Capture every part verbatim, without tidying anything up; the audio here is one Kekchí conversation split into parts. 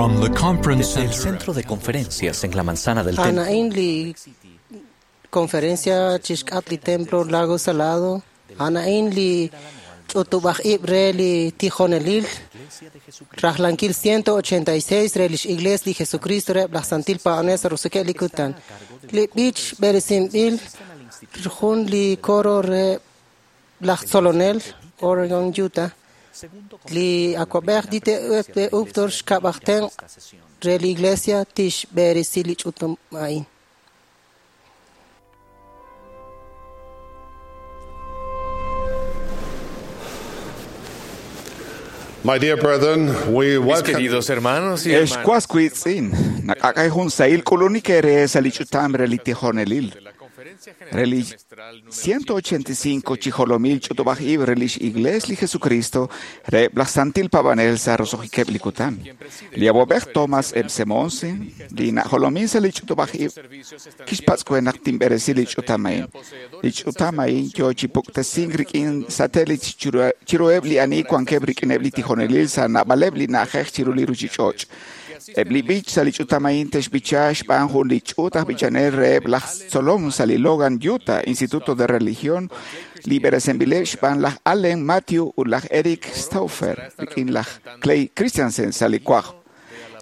From the conference Desde el center centro de conferencias en la manzana del templo, Anaín li conferencia chixk'at li templo Lago Salado. Anaín li ch'utub'aj ib' re li tijonelil. Rajlankil ciento ochenta y seis re lix iglesia li Jesucristo re laj Santil Pa'anel sa Ruseke' li kutan. Li b'ich b'eresinb'il jun li coro re laj Tzolonel, Oregon, Utah. Li awab'ej dite Uchtdorf xkab'ajten re li iglesia tix b'eresi li ch'utum a'in. My dear brethren, we Mis welcome queridos hermanos y hermanas, Excuascuitzin, nakakay hun sail kulunikere salichutam relitijonelil. de la Conferencia General Reli Semestral número ciento ochenta y cinco chijolomil chutubaj relish igles li Jesucristo re blasantil pabanel sa rosojiqueblikutan. Li abobej Thomas M. Semonsen, li najolomin sa lichutubaj servicios están kixpatzkuenak timberesi lichutamain. Lichutamain yo chipuktesin rikin satelit chirueb li ani kuankeb rikineb li tijonelil sa nabaleb li najej chiruliru chichoch. Eb li bich sa lichutamain texbicha xban jun lichutaj bichanel reb laj Tzolom sa li Logan, Utah, Instituto de Religión, liberesenbile xban laj Allen Matthew u laj Eric Stauffer, rikin laj Clay Christiansen sa li kuaj.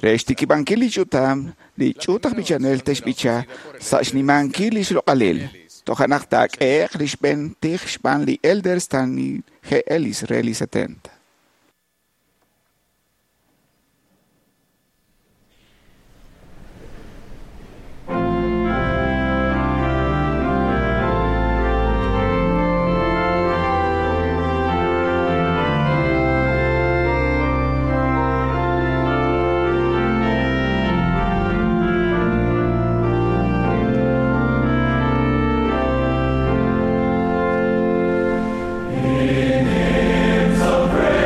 Rextikibankil lichutam, lichutaj bichanel texbicha, sa xnimankil lixloqalil. Tojanaj tak eq lixben tij xban li Elder Stanley G. Ellis re li setenta. In hymns of praise.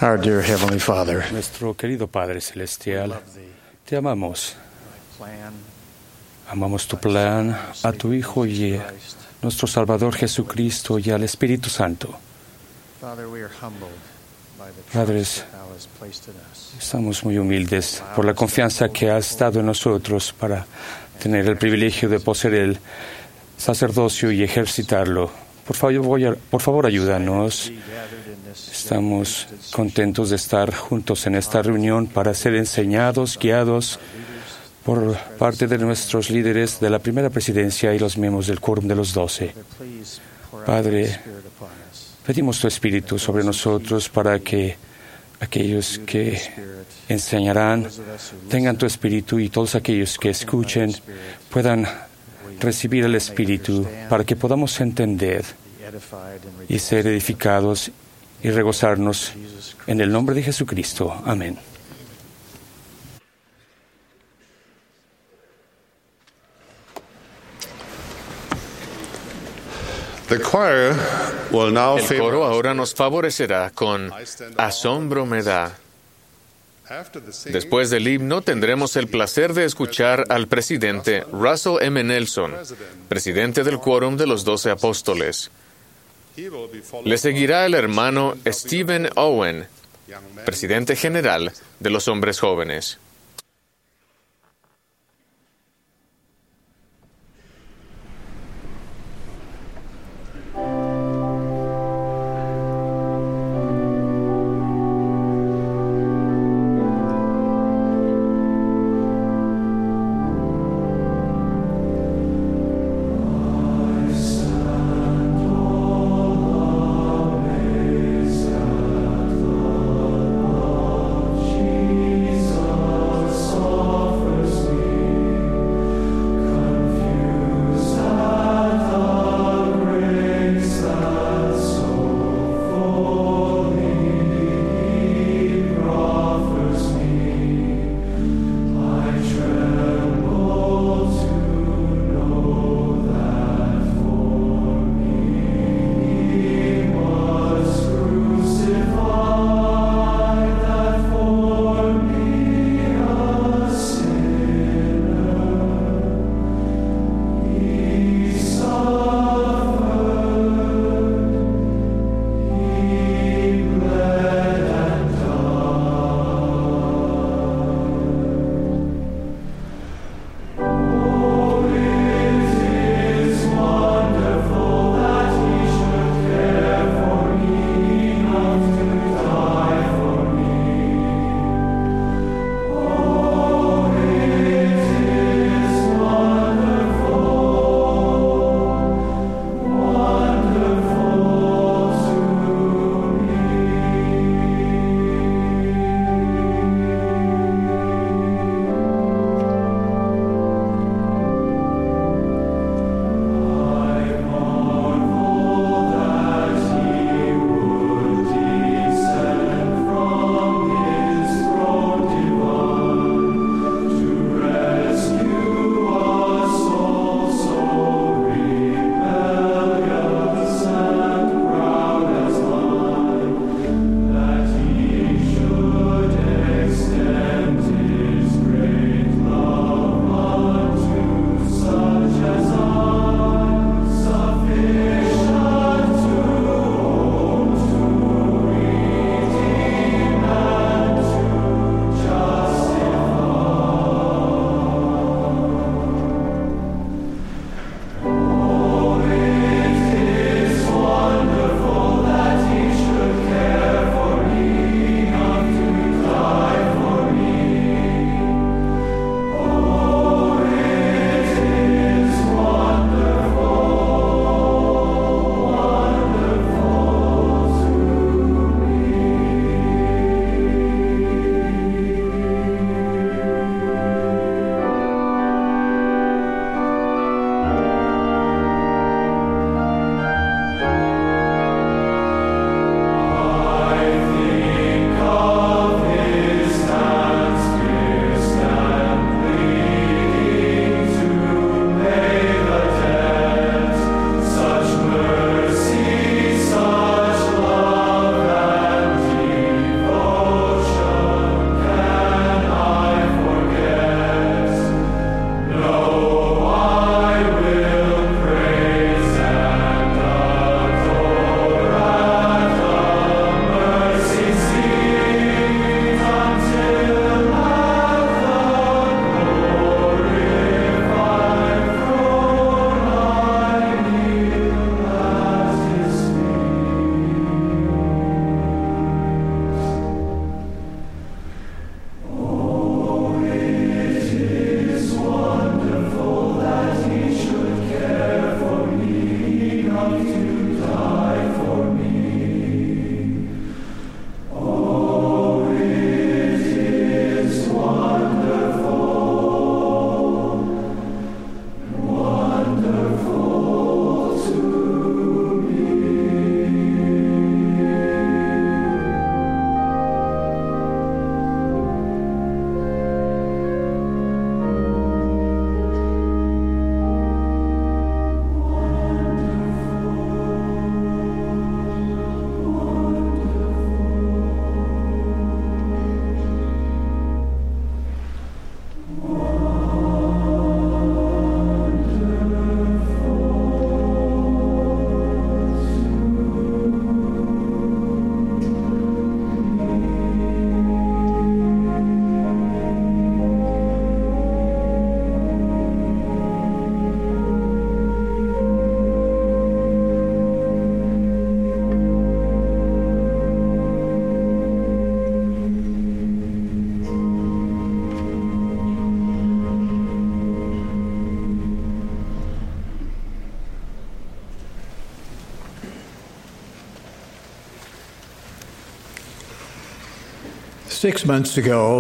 Our dear Heavenly Father, Nuestro querido Padre Celestial, te amamos. Amamos tu plan, a tu Hijo y a nuestro Salvador Jesucristo y al Espíritu Santo. Padres, estamos muy humildes por la confianza que has dado en nosotros para tener el privilegio de poseer el sacerdocio y ejercitarlo. Por favor, voy a- por favor, ayúdanos. Estamos contentos de estar juntos en esta reunión para ser enseñados, guiados por parte de nuestros líderes de la primera presidencia y los miembros del Quórum de los Doce. Padre, pedimos tu Espíritu sobre nosotros para que aquellos que enseñarán tengan tu Espíritu y todos aquellos que escuchen puedan recibir el Espíritu para que podamos entender y ser edificados y regozarnos en el nombre de Jesucristo. Amén. The choir will now El favor coro ahora nos favorecerá con Asombro me da. After the singing, Después del himno tendremos el placer de escuchar al presidente Russell M. Nelson, presidente del Quórum de los Doce Apóstoles. he will be followed Le seguirá el hermano Stephen Owen, young men presidente general de los hombres jóvenes. Jesus.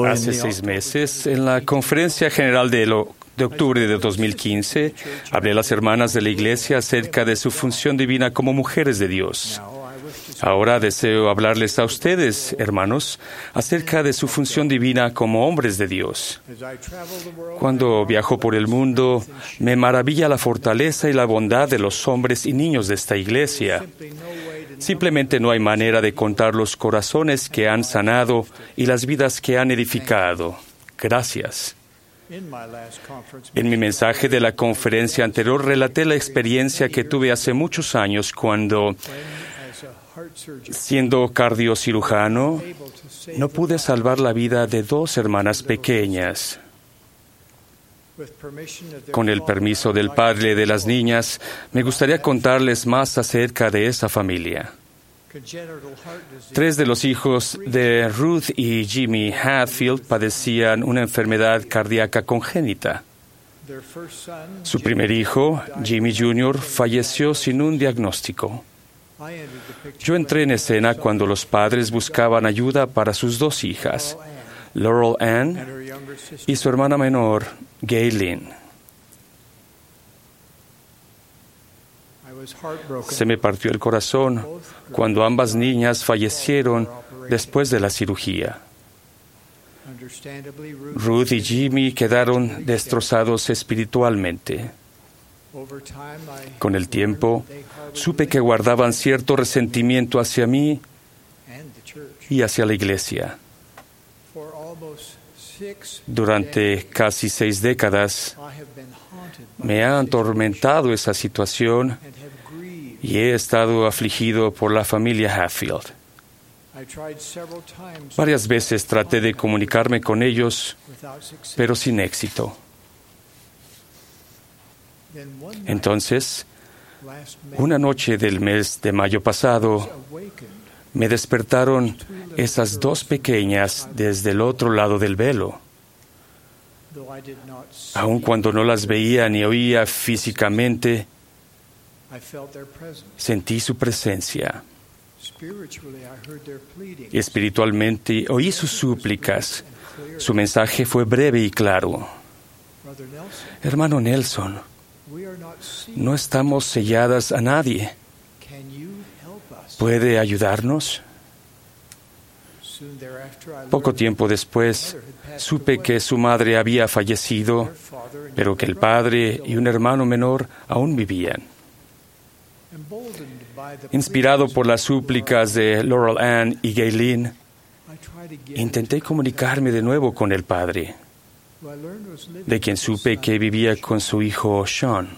Hace seis meses, en la Conferencia General de, lo, de octubre de dos mil quince, hablé a las hermanas de la Iglesia acerca de su función divina como mujeres de Dios. Ahora deseo hablarles a ustedes, hermanos, acerca de su función divina como hombres de Dios. Cuando viajo por el mundo, me maravilla la fortaleza y la bondad de los hombres y niños de esta iglesia. Simplemente no hay manera de contar los corazones que han sanado y las vidas que han edificado. Gracias. En mi mensaje de la conferencia anterior relaté la experiencia que tuve hace muchos años cuando, siendo cardiocirujano, no pude salvar la vida de dos hermanas pequeñas. Con el permiso del padre de las niñas, me gustaría contarles más acerca de esa familia. Tres de los hijos de Ruth y Jimmy Hatfield padecían una enfermedad cardíaca congénita. Su primer hijo, Jimmy junior, falleció sin un diagnóstico. Yo entré en escena cuando los padres buscaban ayuda para sus dos hijas, Laurel Ann y su hermana menor, Gaylene. Se me partió el corazón cuando ambas niñas fallecieron después de la cirugía. Ruth y Jimmy quedaron destrozados espiritualmente. Con el tiempo, supe que guardaban cierto resentimiento hacia mí y hacia la iglesia. Durante casi seis décadas, me ha atormentado esa situación y he estado afligido por la familia Hatfield. Varias veces traté de comunicarme con ellos, pero sin éxito. Entonces, una noche del mes de mayo pasado, me despertaron esas dos pequeñas desde el otro lado del velo. Aun cuando no las veía ni oía físicamente, sentí su presencia. Espiritualmente oí sus súplicas. Su mensaje fue breve y claro. Hermano Nelson, no estamos selladas a nadie. ¿Puede ayudarnos? Poco tiempo después, supe que su madre había fallecido, pero que el padre y un hermano menor aún vivían. Inspirado por las súplicas de Laurel Ann y Gaylene, intenté comunicarme de nuevo con el padre, de quien supe que vivía con su hijo Sean.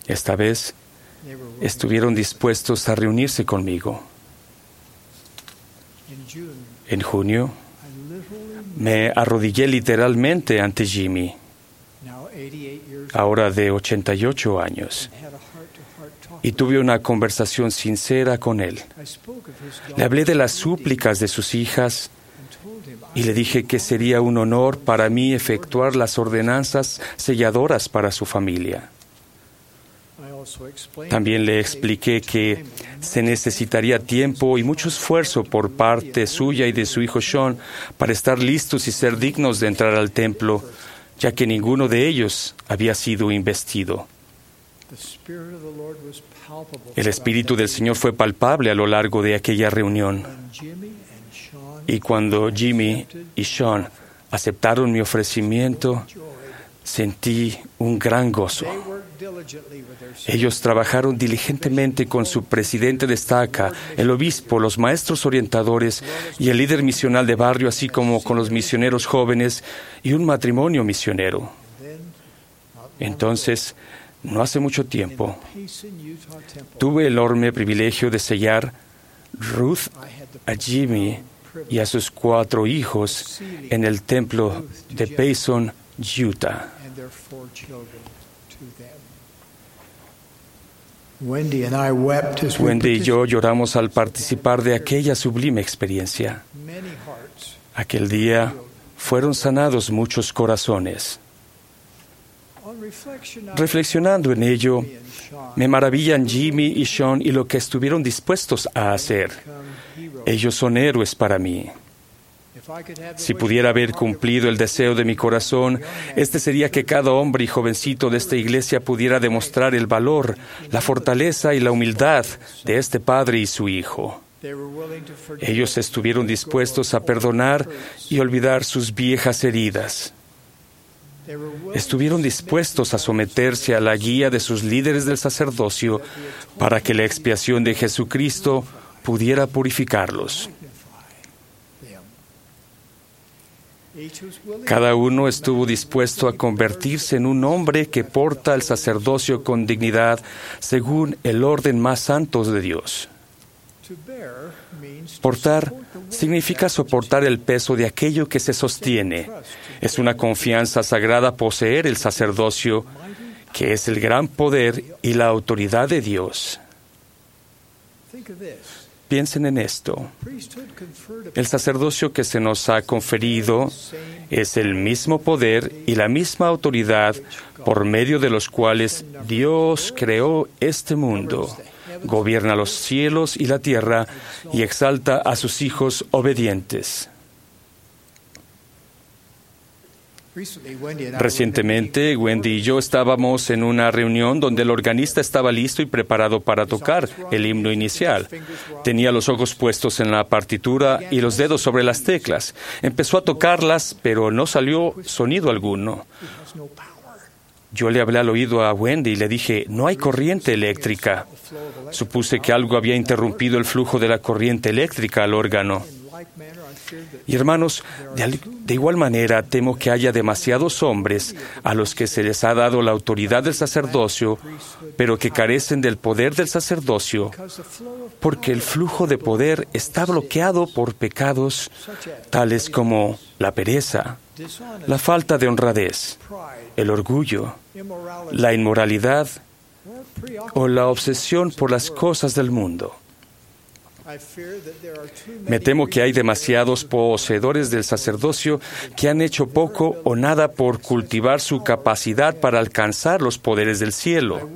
Esta vez, estuvieron dispuestos a reunirse conmigo. En junio, me arrodillé literalmente ante Jimmy, ahora de ochenta y ocho años, y tuve una conversación sincera con él. Le hablé de las súplicas de sus hijas y le dije que sería un honor para mí efectuar las ordenanzas selladoras para su familia. También le expliqué que se necesitaría tiempo y mucho esfuerzo por parte suya y de su hijo Sean para estar listos y ser dignos de entrar al templo, ya que ninguno de ellos había sido investido. El Espíritu del Señor fue palpable a lo largo de aquella reunión. Y cuando Jimmy y Sean aceptaron mi ofrecimiento, sentí un gran gozo. Ellos trabajaron diligentemente con su presidente de estaca, el obispo, los maestros orientadores y el líder misional de barrio, así como con los misioneros jóvenes y un matrimonio misionero. Entonces, no hace mucho tiempo, tuve el enorme privilegio de sellar Ruth a Jimmy y a sus cuatro hijos en el templo de Payson, Utah. Wendy y yo lloramos al participar de aquella sublime experiencia. Aquel día fueron sanados muchos corazones. Reflexionando en ello, me maravillan Jimmy y Sean y lo que estuvieron dispuestos a hacer. Ellos son héroes para mí. Si pudiera haber cumplido el deseo de mi corazón, este sería que cada hombre y jovencito de esta iglesia pudiera demostrar el valor, la fortaleza y la humildad de este padre y su hijo. Ellos estuvieron dispuestos a perdonar y olvidar sus viejas heridas. Estuvieron dispuestos a someterse a la guía de sus líderes del sacerdocio para que la expiación de Jesucristo pudiera purificarlos. Cada uno estuvo dispuesto a convertirse en un hombre que porta el sacerdocio con dignidad según el orden más santo de Dios. Portar significa soportar el peso de aquello que se sostiene. Es una confianza sagrada poseer el sacerdocio, que es el gran poder y la autoridad de Dios. Piensen en esto. El sacerdocio que se nos ha conferido es el mismo poder y la misma autoridad por medio de los cuales Dios creó este mundo, gobierna los cielos y la tierra y exalta a sus hijos obedientes. Recientemente, Wendy y yo estábamos en una reunión donde el organista estaba listo y preparado para tocar el himno inicial. Tenía los ojos puestos en la partitura y los dedos sobre las teclas. Empezó a tocarlas, pero no salió sonido alguno. Yo le hablé al oído a Wendy y le dije, no hay corriente eléctrica. Supuse que algo había interrumpido el flujo de la corriente eléctrica al órgano. Y hermanos, de, de, igual manera temo que haya demasiados hombres a los que se les ha dado la autoridad del sacerdocio, pero que carecen del poder del sacerdocio, porque el flujo de poder está bloqueado por pecados tales como la pereza, la falta de honradez, el orgullo, la inmoralidad o la obsesión por las cosas del mundo. Me temo que hay demasiados poseedores del sacerdocio que han hecho poco o nada por cultivar su capacidad para alcanzar los poderes del cielo.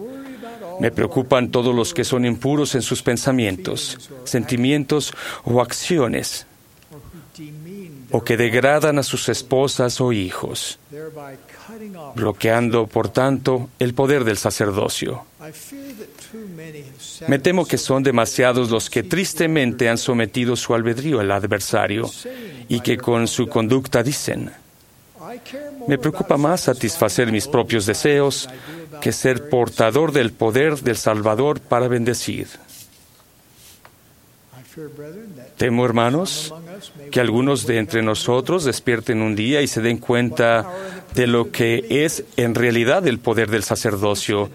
Me preocupan todos los que son impuros en sus pensamientos, sentimientos o acciones, o que degradan a sus esposas o hijos, bloqueando, por tanto, el poder del sacerdocio. Me temo que son demasiados los que tristemente han sometido su albedrío al adversario y que con su conducta dicen, me preocupa más satisfacer mis propios deseos que ser portador del poder del Salvador para bendecir. Temo, hermanos, que algunos de entre nosotros despierten un día y se den cuenta de lo que es en realidad el poder del sacerdocio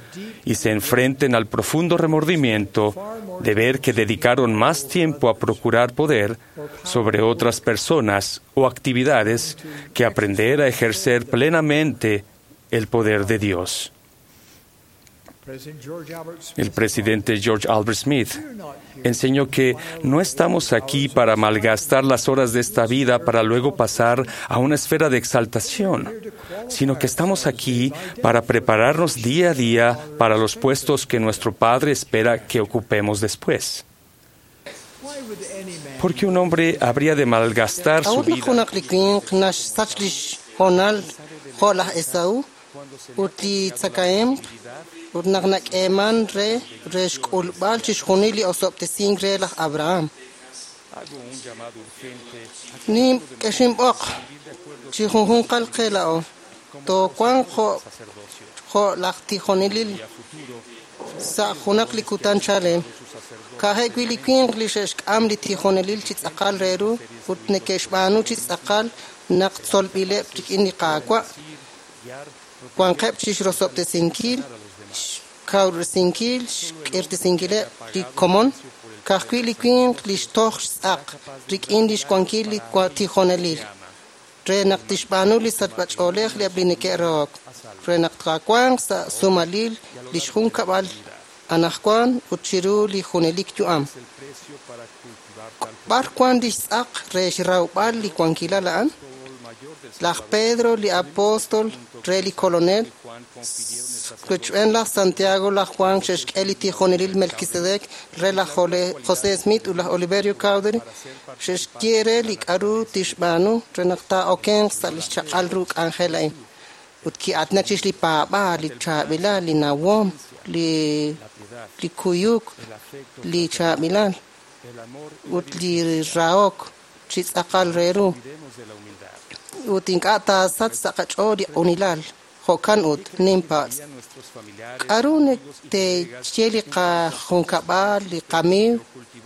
y se enfrenten al profundo remordimiento de ver que dedicaron más tiempo a procurar poder sobre otras personas o actividades que aprender a ejercer plenamente el poder de Dios. El presidente George Albert Smith enseñó que no estamos aquí para malgastar las horas de esta vida para luego pasar a una esfera de exaltación, sino que estamos aquí para prepararnos día a día para los puestos que nuestro Padre espera que ocupemos después. ¿Por qué un hombre habría de malgastar su vida? Ut naq nak'eeman re re xk'ulb'al chixjunil li osob'tesink re laj Abraham. Nim k'exinb'oq chi junjunqal qe la'o toowanq jo' jo' laj tijonelil sa' junaq li kutan chalel. Ka'ajeb' wi' li winq li xe'xk'am li tijonelil chi tz'aqal re ru ut neke'xb'aanu chi tz'aqal naq tzolb'ileb' rik'in li Qaawa' wanqeb' chixrosob'tesinkil xkawresinkil xk'irtesinkileb' li komon ka'ajwi' li winq li xtoj xtz'aq rik'in li xwankil li tijonelil re naq tixb'aanu li sachb'ach'oolej li eb' li neke'rahok re naq taawanq sa' sumalil li xjunkab'al anaqwan ut chiru li junelik yu'am. B'ar wan li xtz'aq re xrawb'al li wankilal a'an? Laj Pedro, li apóstol re li kolonel, Rochb'een laj Santiago, laj Juan xe'xk'e li tijonelil Melquisedec re laj José Smith ut laj Oliverio Cowdery, xe'xye re li k'a'ru tixb'aanu re naq taa'okenq sa' li xchaq'al ru k'anjel a'in. Ut ki'aatinak chirix li paab'aal, li chaab'ilal, li nawom, li li kuyuk, li chaab'ilal ut li rahok chi tz'aqal re ru. Ut ink'a' taasach sa' qach'ool li q'unilal. Jo'kan ut ninpatz'. K'a'ru te'xye li qajunkab'al, li qamiiw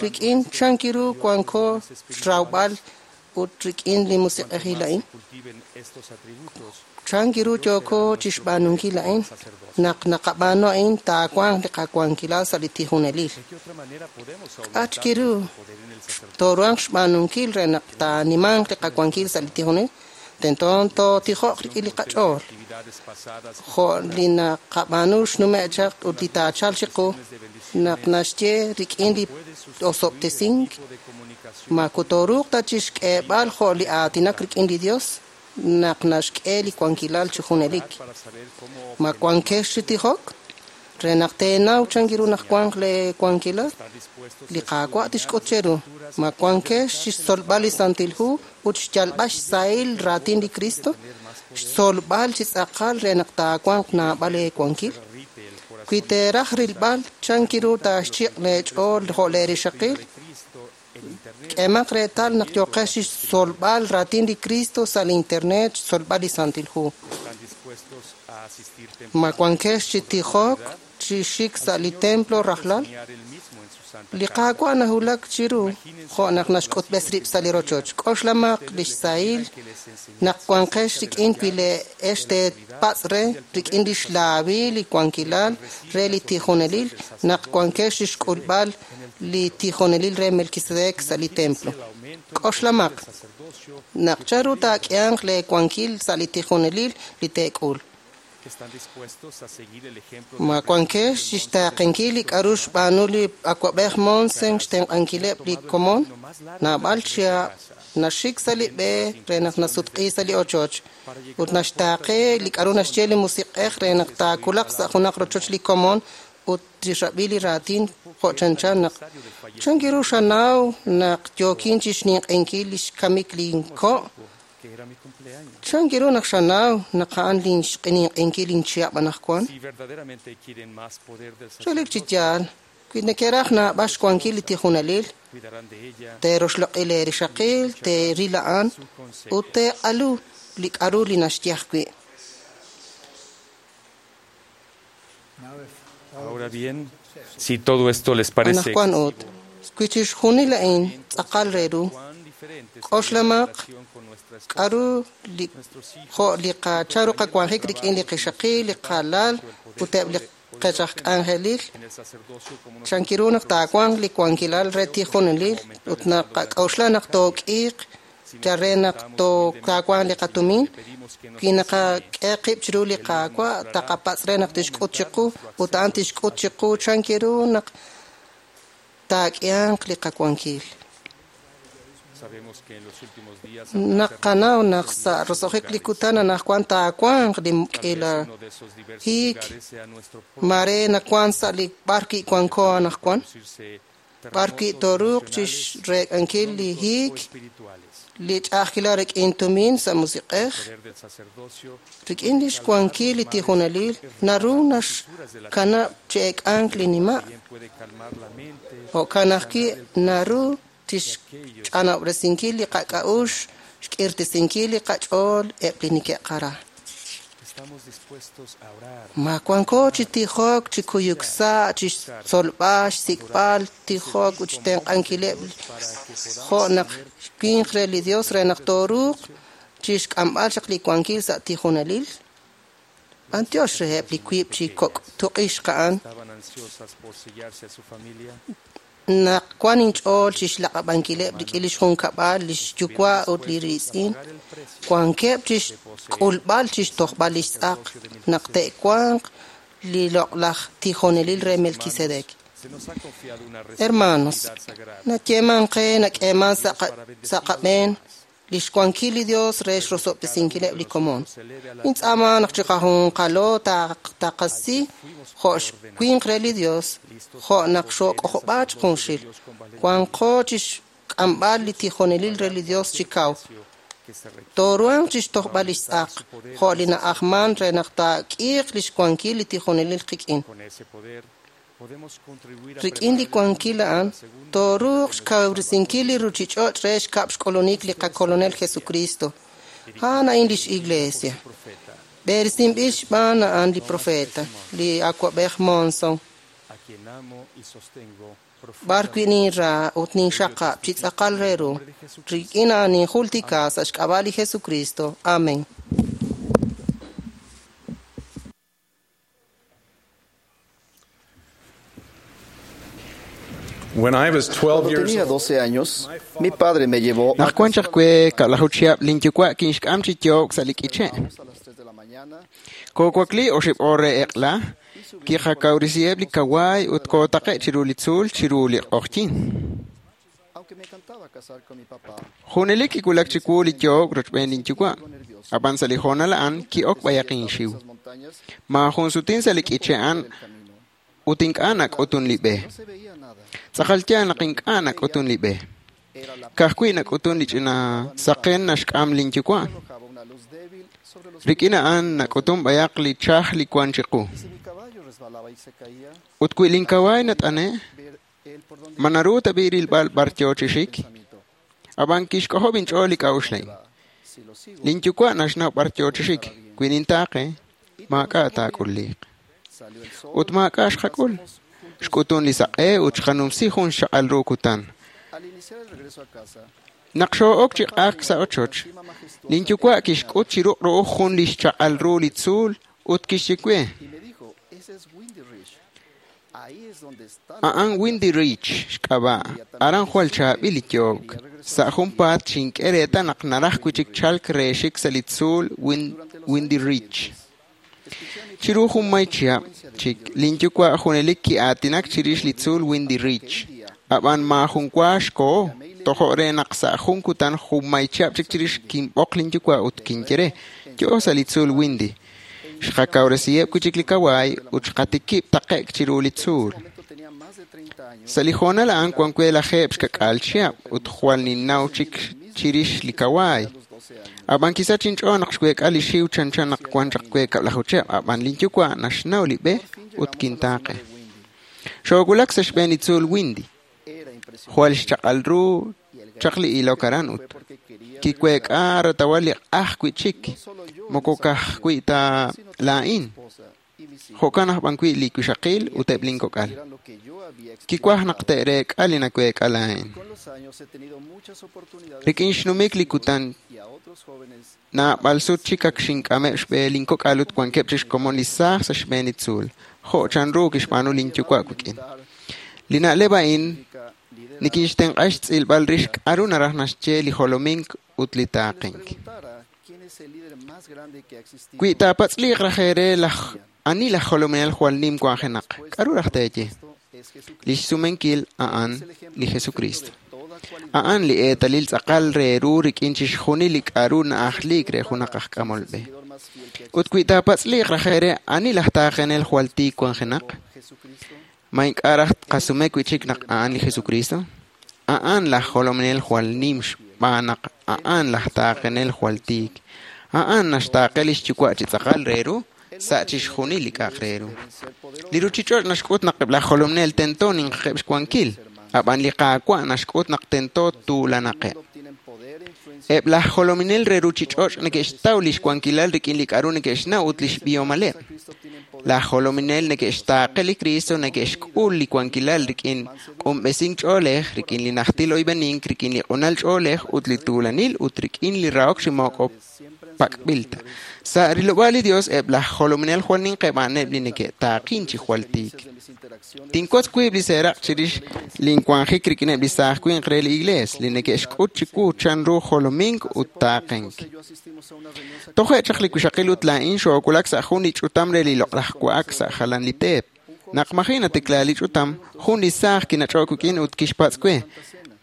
rik'in chankiru wanko xrawb'al ut rik'in li musiq'ejil a'in? Chankiru yooko chixb'aanunkil a'in? Naq naqab'aanu a'in taawanq li qawankilal sa' li tijonelil. K'a' chiru tooruhanq xb'aanunkil re naq taanimanq li qawankil sa' li tijonelil? Tento tootijoq rik'in li qach'ool. Jo' li naqab'aanu xnume' chaq ut li taachalq chiqu naq naxye rik'in li osob'tesink, ma kutoruuq ta chixk'eeb'al jo' li aatinak rik'in li Dios naq naxk'e li wankilal chi junelik. Ma wankex chi tijok re naq teenaw chankiru naq wanq le wankilal li Qaawa' tixk'ut cheru. Ma wankex chixtzolb'al li Santil Hu ut xyalb'al xsahil raatin li Cristo, xtzolb'al chi tz'aqal re naq taawanq naab'al eewankil. Wi teeraj rilb'al chankiru taaxchiq' leech'ool jo' leerixaqil, k'emaq reetal naq yooqex chixtzolb'al raatin li Cristo sa' li internet, xtzolb'al li Santil Hu. Ma wankex chi tijok chi xik sa' li templo rajlal? Li Qaawa' nahulak chiru jo' naq naxk'utb'es rib' sa' li rochoch. K'oxlamaq li xsahil naq wanqex rik'in wi le'ex teepatz' re rik'in li xlaawil li wankilal re li tijonelil naq wankex chixk'ulb'al li tijonelil re Melquisedec sa' li templo. K'oxlamaq naq chanru taak'ehanq leewankil sa' li tijonelil li teek'ul. Ma wankex chixtaaqenkil li k'a'ru xb'aanu li awab'ej Monson xtenq'ankileb' li komon? Naab'al chihab' naxik sa' li b'e re naq nasutq'i sa' li ochoch ut naxtaaqe li k'a'ru naxye li musiq'ej re naq taakulaq sa' junaq rochoch li komon ut tixrab'i li raatin jo' chanchan naq chankiru xanaw naq yookin chixninq'enkil li xkamik linko'? Chankiru naq xanaw naq a'an linxq'eninq'enkil linchihab' anaqwan? Relik chi yaal, wi nekeraj naab'al xwankil li tijonelil, teeroxloq'i leerixaqil, teeril a'an ut teeq'alu li k'a'ru li naxye ajwi'. Ahora bien, si todo esto les parece Anaqwan ut, wi chixjunil a'in tz'aqal re ru, k'oxlamaq k'a'ru li jo' li qacharu qawanjik rik'in li qixaqil, li qalal ut eb' li qech aj k'anjelil, chankiru naq taawanq li wankilal re tijonelil ut naq qak'oxla naq took'iiq yal re naq taawanq li qatumin, wi naqak'e qib' chiru li Qaawa' taqapatz' re naq tixk'ut chiqu ut a'an tixk'ut chiqu chankiru naq taak'ihanq li qawankil. Naqanaw naq sa' roso'jik li kutan anaqwan taawanq li k'ila hiik, mare nawank sa' li b'ar wi' wanko anaqwan, b'ar wi' tooruuq chixreek'ankil li hiik, li ch'a'ajkilal rik'in tumin sa' musiq'ej, rik'in li xwankil li tijonelil naru naxkanab' chi eek'ank li nima'. Jo'kan ajwi' naru tixch'anob'resinkil li qak'a'uxl, xk'irtesinkil li qach'ool eb' li neke'qara. Ma wanko chi tijok, chi kuyuk sa', chi xtzolb'al, xsik'b'al, tijok ut xtenq'ankileb' jo' naq winq re li Dios re naq tooruuq chixk'amb'al chaq li wankil sa' tijonelil? B'antiox reheb' li wiib' chi kok' tuq'ixq a'an naq wan inch'ool chixlaq'ab'ankileb' rik'in lix junkab'al, lix yuwa' ut li riitz'in, wankeb' chixk'ulb'al chixtojb'al lix tz'aq naq te'wanq li loq'laj tijonelil re Melquisedec. Hermanos, nayeeman qe nak'eeman sa' qab'een Lix wankil li Dios re xrosob'tesinkileb' li komon. Nintz'aama naq chiqajunqalo taqasi jo' xwinq re li Dios, jo' naq xok'ojob'aak junxil. Wanqo chixk'amb'al li tijonelil re li Dios chi kaw. Tooruhanq chixtojb'al lix tz'aq, jo' li na'ajman re naq taak'iiq lix wankil li tijonelil qik'in. Rik'in li wankil a'an, tooruuq xkawresinkil li ruchich'och' re xkab' xk'ulunik li qakolonel Jesucristo. A'an a'in lix iglesia. B'eresinb'il xb'aan a'an li profeta, li awab'ej Monson. B'ar wi' ninra ut ninxaqab' chi tz'aqal re ru. Rik'in a'an ninjultika sa' xk'ab'a' li Jesucristo. Amen. When I was twelve Cuando years tenía old, doce años, mi padre me llevó a Naq wan chaq we kab'laju chihab' linyuwa' kinxk'am chi yook sa' li k'iche'. a las tres de la mañana Koowakli oxib' oor re eq'la, kiqakawrisiheb' li kawaay ut kootaqe' chiru li tzuul chiru li q'oqyin. Aunque me encantaba cazar con mi papá, Junelik kiwulak chiwu li yook rochb'een linyuwa'. Ab'an sa' li hoonal a'an ki'ok b'ayaq inxiw. esas montañas Maajun sutin sa' li k'iche' a'an del camino. ut ink'a' nak'utun li b'e. No se veía nada. Tz'aqal yaal naq ink'a' nak'utun li b'e. Era la Ka'ajwi' nak'utun li ch'ina saqen naxk'am linyuwa'. arrojaba una luz débil sobre los Rik'in a'an nak'utun b'ayaq li chaj li wan chiqu. Y si mi caballo resbalaba y se caía, Ut wi linkawaay nat'ane', ver él por dónde ma naru tab'i rilb'al b'ar yoo chi xik? pensamiento. Ab'an kixk'ojob' inch'ool li k'a'uxl a'in. Si lo sigo, Linyuwa' naxnaw b'ar yoo chi xik. Wi nintaaqe, maak'a' taak'ulliq. salió el sol. Ut maak'a' xqak'ul. Xk'utun li saq'e ut xqanumsi jun xchaq'al ru kutan. Al iniciar el regreso a casa, Naq xoo'ok chi q'ajk sa' ochoch, linyuwa' kixk'ut chi ruq' ru'uj jun li xchaq'al ru li tzuul ut kixye we, y me dijo, ese es Windy Ridge. Ahí es donde está la a'an Windy Ridge xk'ab'a', aran jwal chaab'il li yook. Sa' junpaat xink'e reetal naq naraj wi' chik chalk re xik sa' li tzuul Win- Durante los Windy años Ridge. siguientes, escuché a mi Chiru jun may chihab' chik, linyuwa' junelik ki'aatinak chirix li tzuul Windy Ridge. Ab'an maajun wa xkoho, tojo' re naq sa' jun kutan jun may chihab' chik chirix kinb'oq linyuwa' ut kinye re, yo'o sa' li tzuul Windy. Xqakawresiheb' wi' chik li kawaay ut xqatikib' taqe'k chiru li tzuul. momento tenía más de treinta años. Sa' li hoonal a'an wan we lajeeb' xkak'al chihab' ut jwal ninnaw chik chirix li kawaay. A los doce años. Ab'an kisach inch'ool naq xweek'a li xiw chanchan naq wan chaq we kab'laju chihab', ab'an linyuwa' naxnaw li b'e Por fin ut llegamos a la cima kintaaqe. de Windy. Xoowulak sa' xb'een li tzuul Windy. Era impresionante. Jwal xchaq'al ru Y el chaq li ilok aran ut fue porque quería kiweek'a ratawal li q'aj wi' chik, No solo yo en moko esa ka'ajwi' ta sino también mi laa'in. esposa y mis hijos. Jo'kan aj b'an wi' li wixaqil ut eb' linkok'al. Supieran lo que yo había Kiwaj naq experimentado. te'reek'a li naweek'a laa'in. Con los años he tenido muchas oportunidades Rik'in de xnumik li kutan y a otros jóvenes naab'al sut chik ak xink'ameb' xb'e linkok'al ut wankeb' chi xkomon li saaj sa' xb'een li tzuul, jo' chanru kixb'aanu linyuwa' wik'in. Li na'leb' a'in significa liderazgo. nikinxtenq'a xtz'ilb'al rix k'aru naraj naxye li jolomink ut li Les taaqink. preguntara quién es el líder más grande que ha existido. Wi taapatz'liiq raj eere laj ani laj jolominel jwal nim wanjenaq, k'aru raj teeye? Esto es Jesucristo. Li xsumenkil a'an Es el ejemplo li perfecto Jesucristo. de toda cualidad. A'an li eetalil tz'aqal re ru rik'in chixjunil li k'aru na'ajliik re junaq aj k'amol b'e. Seguidor más fiel que ha Ut wi taapatz'liiq raj eere ani laj taaqenel jwal tiik wanjenaq, existido. Jesucristo ma ink'a' raj qasume wi' chik naq a'an li Jesucristo? A'an laj jolominel jwal nim xb'aan naq a'an laj taaqenel jwal tiik. A'an naxtaaqe lix yuwa' chi tz'aqal re ru sa' chixjunil li k'a'aq re ru. deben ser poderosos. Li ruchich'och' naxk'ut naq eb' laj jolominel tento ninqaqeb' xwankil, ab'an li Qaawa' naxk'ut naq tento tuulanaqeb'. Obtienen poder e influencia Eb' laj jolominel re ruchich'och' neke'xtaw lix wankilal rik'in li k'aru neke'xnaw ut lix b'ihomaleb'. Cristo obtienen poder Laj jolominel neke'xtaaqe li Cristo neke'xk'ul li wankilal rik'in q'unb'esink ch'oolej, rik'in li najtil oyb'enink, rik'in li q'unal ch'oolej ut li tuulanil ut rik'in li rahok chi moko siempre han pak'b'il ta. Sa' rilob'aal li Dios, eb' laj jolominel jwal ninqeb' a'aneb' li neke'taaqin chi jwal tiik. sido de mis interacciones Tinwotz wiib' li seeraq chirix linwanjik rik'ineb' li saaj winq re li iglees, li neke'xk'ut chiwu chanru jolomink ut taaqenk. José y yo asistimos a una reunión Toje' chaq li wixaqil ut laa'in xoowulak sa' jun li ch'utam re li loq'laj wa'ak sa' jalan li teep. Naq maji' natikla li ch'utam, jun li saaj kinach'ok wik'in ut kixpatz' we,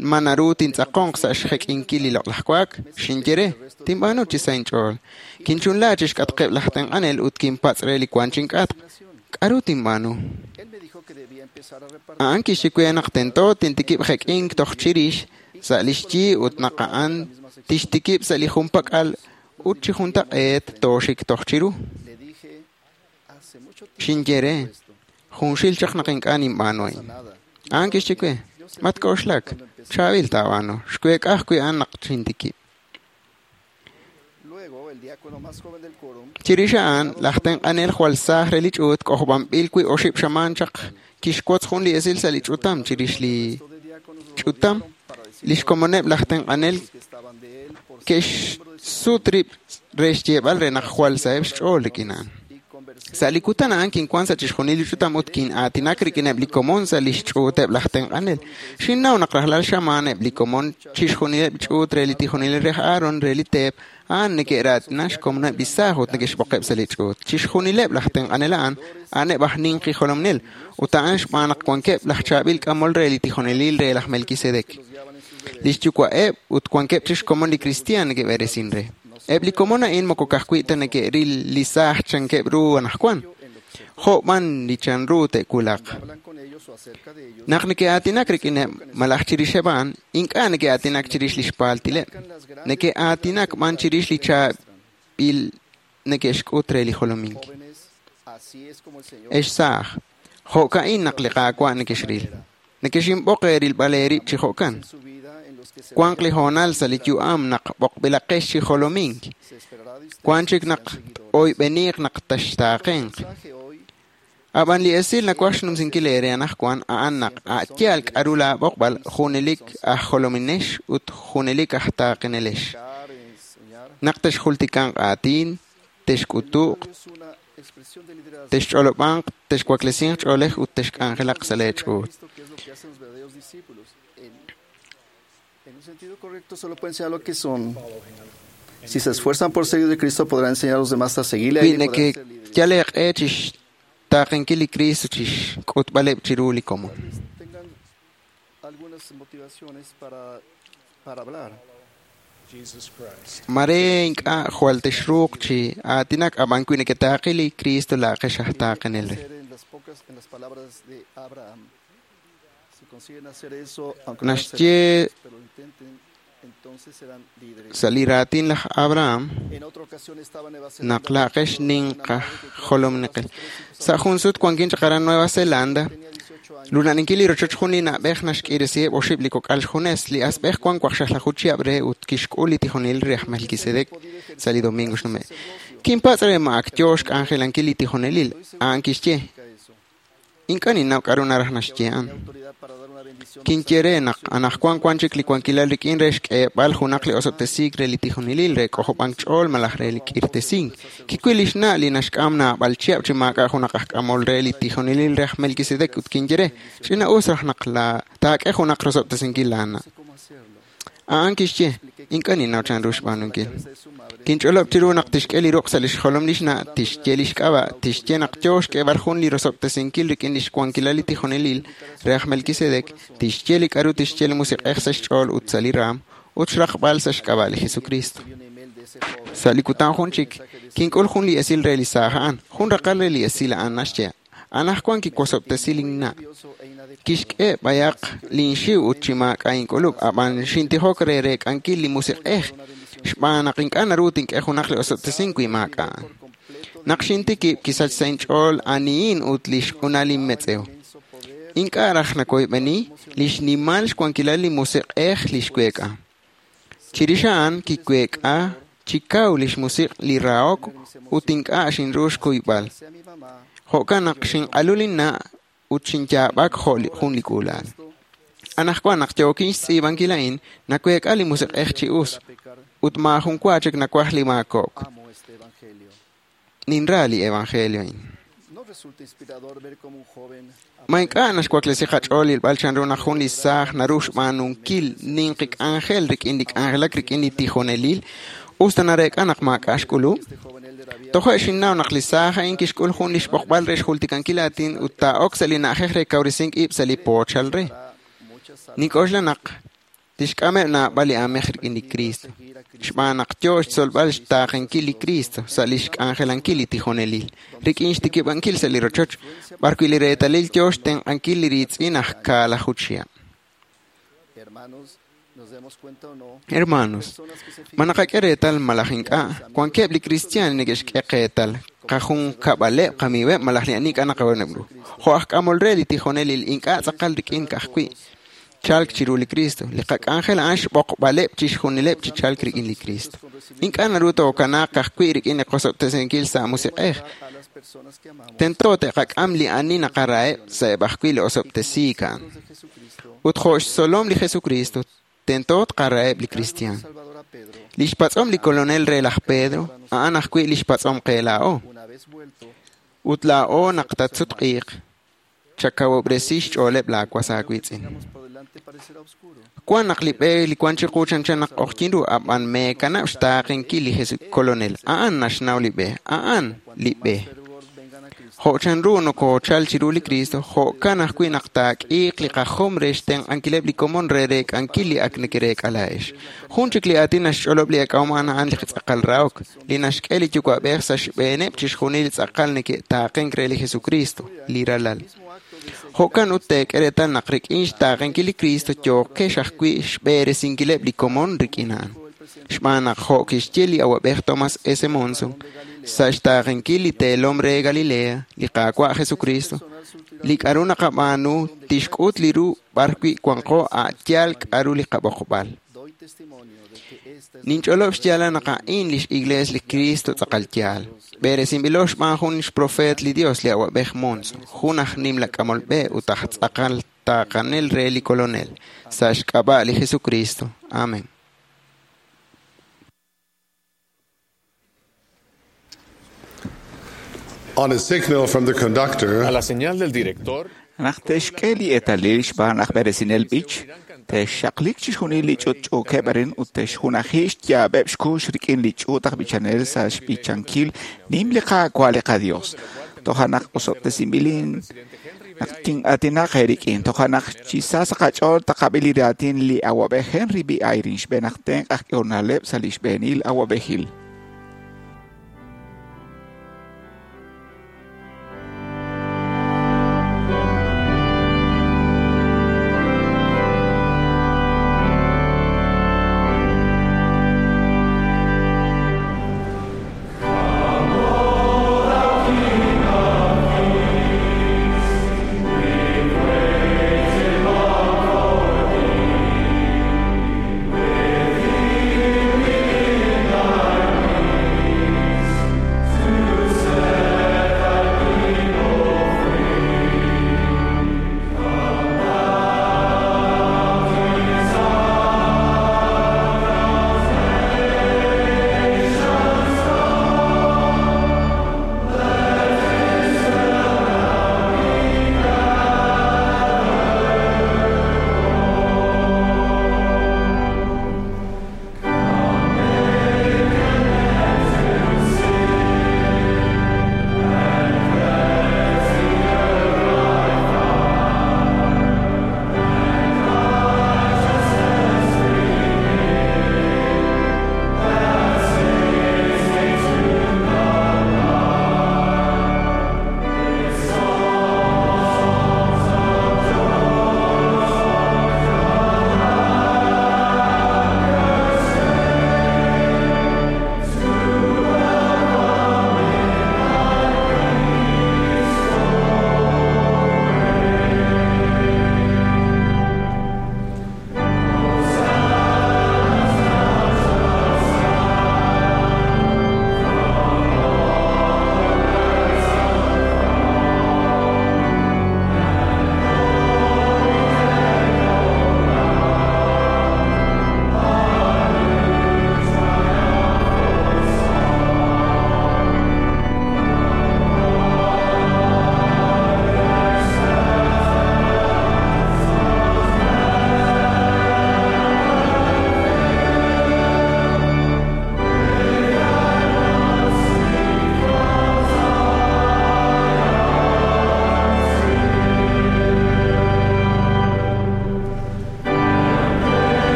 ma naru tintz'aqonq sa' xjek'inkil li loq'laj wa'ak, xinye re, tinb'aanu chi sa inch'ool. Kinchunla chixk'atqeb' laj tenq'anel ut kinpatz' re li wan chink'atq. K'aru tinb'aanu? A'an kixye we naq tento tintikib' jek'ink toj chirix sa' li xyi ut naq a'an tixtikib' sa' li junpak'al ut chi juntaq'eet tooxik toj chiru. Xinye re, junxil chaq naq ink'a' ninb'aanu a'in. A'an kixye we, matk'oxlak, chaab'il taab'aanu, xweek'a ajwi' a'an naq xintikib'. Chirix a'an, laj tenq'anel jwal saaj re li ch'uut k'ojob'anb'il wi' oxib' xamaan chaq kixwotz jun li esil sa' li ch'utam chirix li ch'utam. Lix komoneb' laj tenq'anel ke'xsut rib' re xyeeb'al re naq jwal saheb' xch'ool rik'in a'an. Sa' li kutan a'an kinwan sa' chixjunil li ch'utam ut kin'aatinak rik'ineb' li komon sa' lix ch'uuteb' laj tenq'anel. Xinnaw naq rajlal xamaan eb' li komon chixjunileb' ch'uut re li tijonelil re Aaron re li teep a'an neke'raatina xkomoneb' li saaj ut neke'xb'oqeb' sa' li ch'uut. Chixjunileb' laj tenq'anel a'an a'aneb' aj ninqi jolomnel ut a'an xb'aan naq wankeb' laj chaab'il k'amol re li tijonelil re laj Melquisedec. Lix yuwa'eb' ut wankeb' chik xkomon li kristiaan neke'b'eresin re. Eb' li komon a'in moko ka'ajwi' ta neke'ril li saaj chankeb' ru anaqwan, jo' b'an li chanru te'wulaq. Naq neke'aatinak rik'ineb' malaj chirixeb' a'an, ink'a' neke'aatinak chirix li xpaaltileb'. Neke'aatinak b'an chirix li chaab'il neke'xk'ut re li jolomink. Ex saaj, jo'ka'in naq li Qaawa' nekexril. Nekexinb'oq eerilb'al eerib' chi jo'kan. Wanq li hoonal sa' li yu'am naq b'oqb'ilaqex chi jolomink. Wan chik naq oyb'eniiq naq taxtaaqenq. Ab'an li esil nawaj xnumsinkil eere anaqwan a'an naq a' yaal k'aru laab'oqb'al junelik aj jolominex ut junelik aj taaqenelex. Naq texjultikanq aatin, texk'utuq, texch'olob'anq, texwaklesinq ch'oolej ut texk'anjelaq sa' leech'uut. En un sentido correcto solo pueden enseñar lo que son. Si se esfuerzan por seguir de Cristo, podrán enseñar a los demás a seguirle a él y podrán ser líderes. Yal eeq'e chixtaaqenkil li Cristo chixk'utb'aleb' chiru li komon. Tengan algunas motivaciones para, para hablar. Mare ink'a' jwal texruuq chi aatinak ab'an wi neketaaqi li Cristo laaqex aj taaqenel re. En las pocas, en las palabras de Abraham. Si consiguen hacer eso, aunque no Naxye serán, pero lo intenten, entonces serán líderes. sa' li raatin laj Abraham En otra ocasión estaba en Nueva Zelanda. naq laaqex ninq aj jolomneqel. Sa' jun sut wankin chaq aran Nueva Zelanda, lunaninkil li rochoch jun li na'b'ej naxk'iresiheb' oxib' li kok'al xjunes. Li asb'ej wan waqxaqlaju chihab' re ut kixk'ul li tijonelil re aj Melquisedec sa' li domingo xnume'. Kinpatz' re ma ak yoo xk'anjelankil li tijonelil. A'an kixye, ink'a' ninnaw k'aru naraj naxye a'an. Kinye re naq anaqwan wan chik li wankilal rik'in re xk'eeb'al junaq li osob'tesiik re li tijonelil re k'ojob'ank ch'ool malaj re li k'irtesink. Kiwil lix na' li naxk'am naab'al chihab' chi maak'a' junaq aj k'amol re li tijonelil re aj Melquisedec ut kinye re, ch'ina us raj naq la taak'e junaq rosob'tesinkil laana'. A'an kixye, ink'a' ninnaw chanru xb'aanunkil. Kinch'olob' chiru naq tixk'e li ruq' sa' lix jolom lix na', tixye lix k'ab'a', tixye naq yoo xk'eeb'al jun li rosob'tesinkil rik'in lix wankilal li tijonelil re aj Melquisedec, tixye li k'aru tixye li Musiq'ej sa' xch'ool ut sa' li raam, ut xraqb'al sa' xk'ab'a' li Jesucristo. Sa' li kutan jun chik, kink'ul jun li esil re li saaj a'an, jun raqal re li esil a'an naxye, anaqwan kiwosob'tesi linna'. Kixk'e b'ayaq linxiw ut chi maak'a' ink'ulub', ab'an xintijok re reek'ankil li Musiq'ej, xb'aan naq ink'a' naru tink'e junaq li osob'tesink wi maak'a'. Naq xintikib' kisach sa' inch'ool anihin ut lix q'unal inmetz'ew. Ink'a' raj nakoyb'eni lix nimal xwankilal li Musiq'ej li xweek'a. Chirix a'an kiweek'a chi kaw lix musiq' li rahok ut ink'a' xinru xkuyb'al. Jo'kan naq xinq'alu linna' ut xinyaab'ak jo' jun li k'uula'al. Anaqwan naq yookin xtz'iib'ankil a'in, naweek'a li Musiq'ej chi us ut maajun wa chik nawaj li maakok'. Ninra li evangelio a'in. No resulta inspirador ver cómo un joven Ma ink'a' naxwaklesi qach'ool ilb'al chanru naq jun li saaj naru xb'aanunkil ninqi k'anjel rik'in li k'anjelak rik'in li tijonelil us ta nareek'a naq maak'a' xk'ulub'. Toja' xinnaw naq li saaj a'in kixk'ul jun li xb'oqb'al re xjultikankil aatin ut taa'ok sa' li na'ajej re kawresink ib' sa' li poochal re. Nink'oxla naq Tixk'ameb' naab'al li aamej rik'in li Kristo. Xb'aan naq yoo xtzolb'al xtaaqenkil li Kristo sa' lix k'anjelankil li tijonelil, rik'in xtikib'ankil sa' li rochoch, b'arwi' li reetalil yoo xtenq'ankil li riitz'in aj kaalaju chihab'. Hermanos, ma naqak'e reetal malaj ink'a', wankeb' li kristiaan neke'xk'e qeetal, qajunkab'aleb' qamiiweb' malaj li ani ink'a' naqawoneb' ru. Jo' aj k'amol re li tijonelil ink'a' tz'aqal rik'in ka'ajwi' chalk chiru li Kristo. Li qak'anjel a'an xb'oqb'aleb' chixjunileb' chi chalk rik'in li Kristo. Ink'a' naru tookanaaq ka'ajwi' rik'in li qosob'tesinkil sa' musiq'ej. Tento te'qak'am li ani naqaraheb' sa'eb' ajwi' li osob'tesiik a'an. Ut jo' xtzolom li Jesucristo, tento tqaraheb' li kristiaan. Li xpatz'om li kolonel re laj Pedro, a'an ajwi' li xpatz'om qe laa'o. Ut laa'o naq tatsutq'iiq, chakawob'resi xch'ooleb' laawas aawiitz'in. Wan naq li b'e li wan chiqu chanchan naq q'oqyin ru, ab'an meekanab' xtaaqenkil li Jesu kolonel. A'an naxnaw li b'e, a'an li b'e. Jo' chanru nokoochal chiru li Kristo, jo'kan ajwi' naq taak'iiq li qajom re xtenq'ankileb' li komon re reek'ankil li ak nekereek'a laa'ex. Jun chik li aatin naxch'olob' li eek'ahom a'an a'an li tz'aqal rahok, li naxk'e li Yuwa'b'ej sa' xb'eeneb' chixjunil li tz'aqal neke'taaqenk re li Jesucristo, li Ralal. Jo'kan ut teek'e reetal naq rik'in xtaaqenkil li Kristo yookex ajwi' xb'eresinkileb' li komon rik'in a'an. Xb'aan naq jo' kixye li awab'ej Thomas S. Monson, sa' xtaaqenkil li teelom re Galilea, li Qaawa' Jesucristo, li k'aru naqab'aanu tixk'ut li ru b'arwi' wanqo a' yaal k'aru li qab'oqb'al. Ninch'olob' xyaalal naq a'in lix Iglees li Cristo tz'aqal yaal. B'eresinb'ilo xb'aan jun xprofeet li Dios li awab'ej Monson, jun aj nimla k'amol b'e ut aj tz'aqal taaqanel re li kolonel, sa' xk'ab'a' li Jesucristo. Amén. On a signal from the conductor, A la señal del director, Naq te'xk'e li eetalil xb'aan aj b'eresinel b'ich, te'xxaqlik chixjunil li ch'utch'uukeb' arin ut te'xjunaji xyaab'eb' xkux rik'in li ch'uut aj b'ichanel sa' xb'ichankil nim li Qaawa' li qaDios. Toja' naq osob'tesinb'ilin naq tin'aatinaq eerik'in. Toja' naq chi sa sa' qach'ool taqab'i li raatin li awab'ej Henry B. Eyring xb'een aj tenq' aj k'ehol na'leb' sa' li xb'eenil awab'ejil. With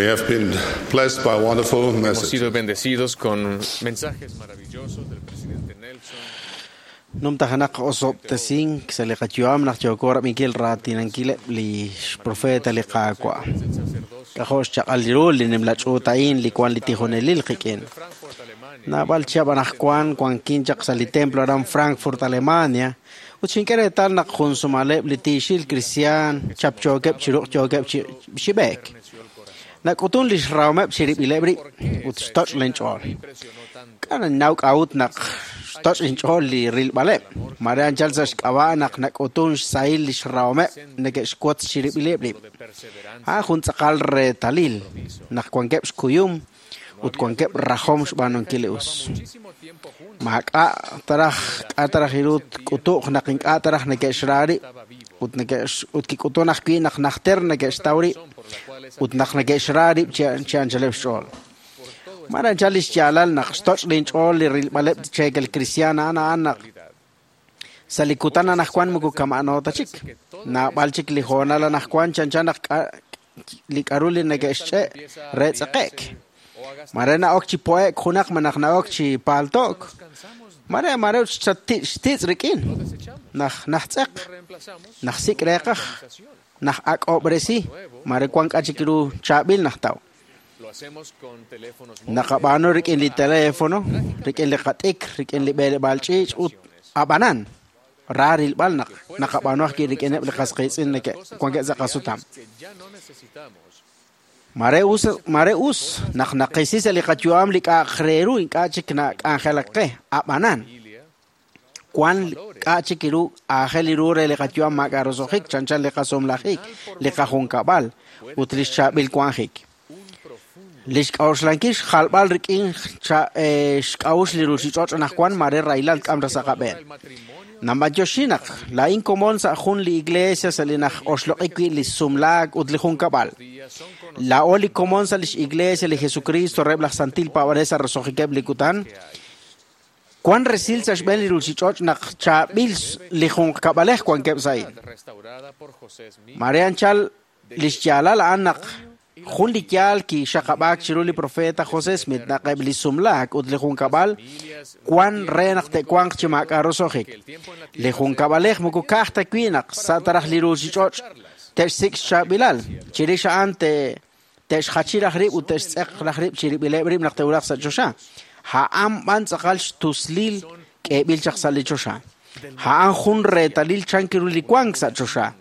We have been blessed by wonderful Hemos messages. sido bendecidos con mensajes maravillosos del presidente Nelson. Numtajanaq osob'tesink sa li qayu'am naq yooko rab'inkil raatinankileb' li xprofeta li Qaawa'. K'ajo' xchaq'al ru li nimla ch'uut a'in li wan li tijonelil qik'in. Naab'al chihab' anaqwan wankin chaq sa li templo aran Frankfurt, Alemania, ut xink'e reetal naq jun sumaleb' li tiixil kristiaan chapchookeb' chi ruq' yookeb' chi xib'eek. Nak'utun li xrawomeb' chirib'ileb' rib' ut xtoch' linch'ool. K'a' ninnaw k'a'ut naq xtoch' inch'ool li rilb'aleb'. Mare anchal sa' xk'ab'a' naq nak'utun xsahil li xrawomeb' neke'xwotz chirib'ileb' rib'. A'an jun tz'aqal reetalil naq wankeb' xkuyum ut wankeb' rajom xb'aanunkil li us. Maak'a' taraj k'a' taraj iru tk'utu'q naq ink'a' taraj neke'xra rib' ut neke'x ut kik'utun ajwi' naq najter neke'xtaw rib' ut naq neke'xra rib' chi chi anchaleb' xch'ool. Mare anchal li xyaalal naq xtoch' linch'ool li rilb'aleb' cheekel kristiaan a'an a'an naq sa' li kutan anaqwan moko kama'ano ta chik. Naab'al chik li hoonal anaqwan chanchan naq k'a- li k'aru li neke'xch'e' re tz'eqe'k. Mare na'ok chi po'ek junaq malaj na'ok chi paalto'k. Mare mare xtzi- xtitz' rik'in. Naj najtz'eq. Najsik' reeqaj. Naj ak'ob'resi. Mare wan k'a chik ru chaab'il najtaw. Lo hacemos con teléfonos Naqab'aanu rik'in li teléfono, rik'in li qat'ik, rik'in li b'eleb'aal ch'iich' ut ab'anan. Ra rilb'al naq naqab'aanu ajwi' rik'ineb' li qas qiitz'in neke' wankeb' sa' qasutam. que ya no necesitamos. Mare us mare us naq naqisi sa' li qayu'am li k'a'aq re ru ink'a' chik nak'anjelak qe ab'anan. Wan k'a' chik ru aajel ru re li qayu'am maak'a' roso'jik chanchan li qasumlajik, li qajunkab'al ut li xchaab'il wanjik. Li xk'a'uxlankil xjalb'al rik'in cha- eh, xk'a'uxl li ruuchich'och' anaqwan mare rahilal k'am ra sa' qab'een. Namb'anyoxi naq laa'in komon sa' jun li iglesia sa' li naj oxloq'i wi' li sumlaak ut li junkab'al. Laa'o li komon sa' lix iglesia li Jesucristo reheb' laj Santil Paab'anel sa' roso'jikeb' li kutan. Wan resil sa' xb'een li ruuchich'och' naq chaab'il li junqkab'alej wankeb' sa' a'in. Restaurada por José Smith. Mare anchal li xyaalal a'an naq jun li yaal kixaqab'aak chiru li profeta José Smith naq eb' li sumlaak ut li junkab'al wan re naq te'wanq chi maak'a' roso'jik. Li junkab'alej moko ka'aj ta wi' naq sa' taraj li ruuchich'och' te'xsik' xchaab'ilal. Chirix a'an te te'xjachi raj rib' ut te'xtz'eq raj rib' chirib'ileb' rib' naq te'wulaq sa' choxa. A'an b'an tz'aqal xtuslil k'eeb'il chaq sa' li choxa. A'an jun reetalil chank ru li wank sa' choxa.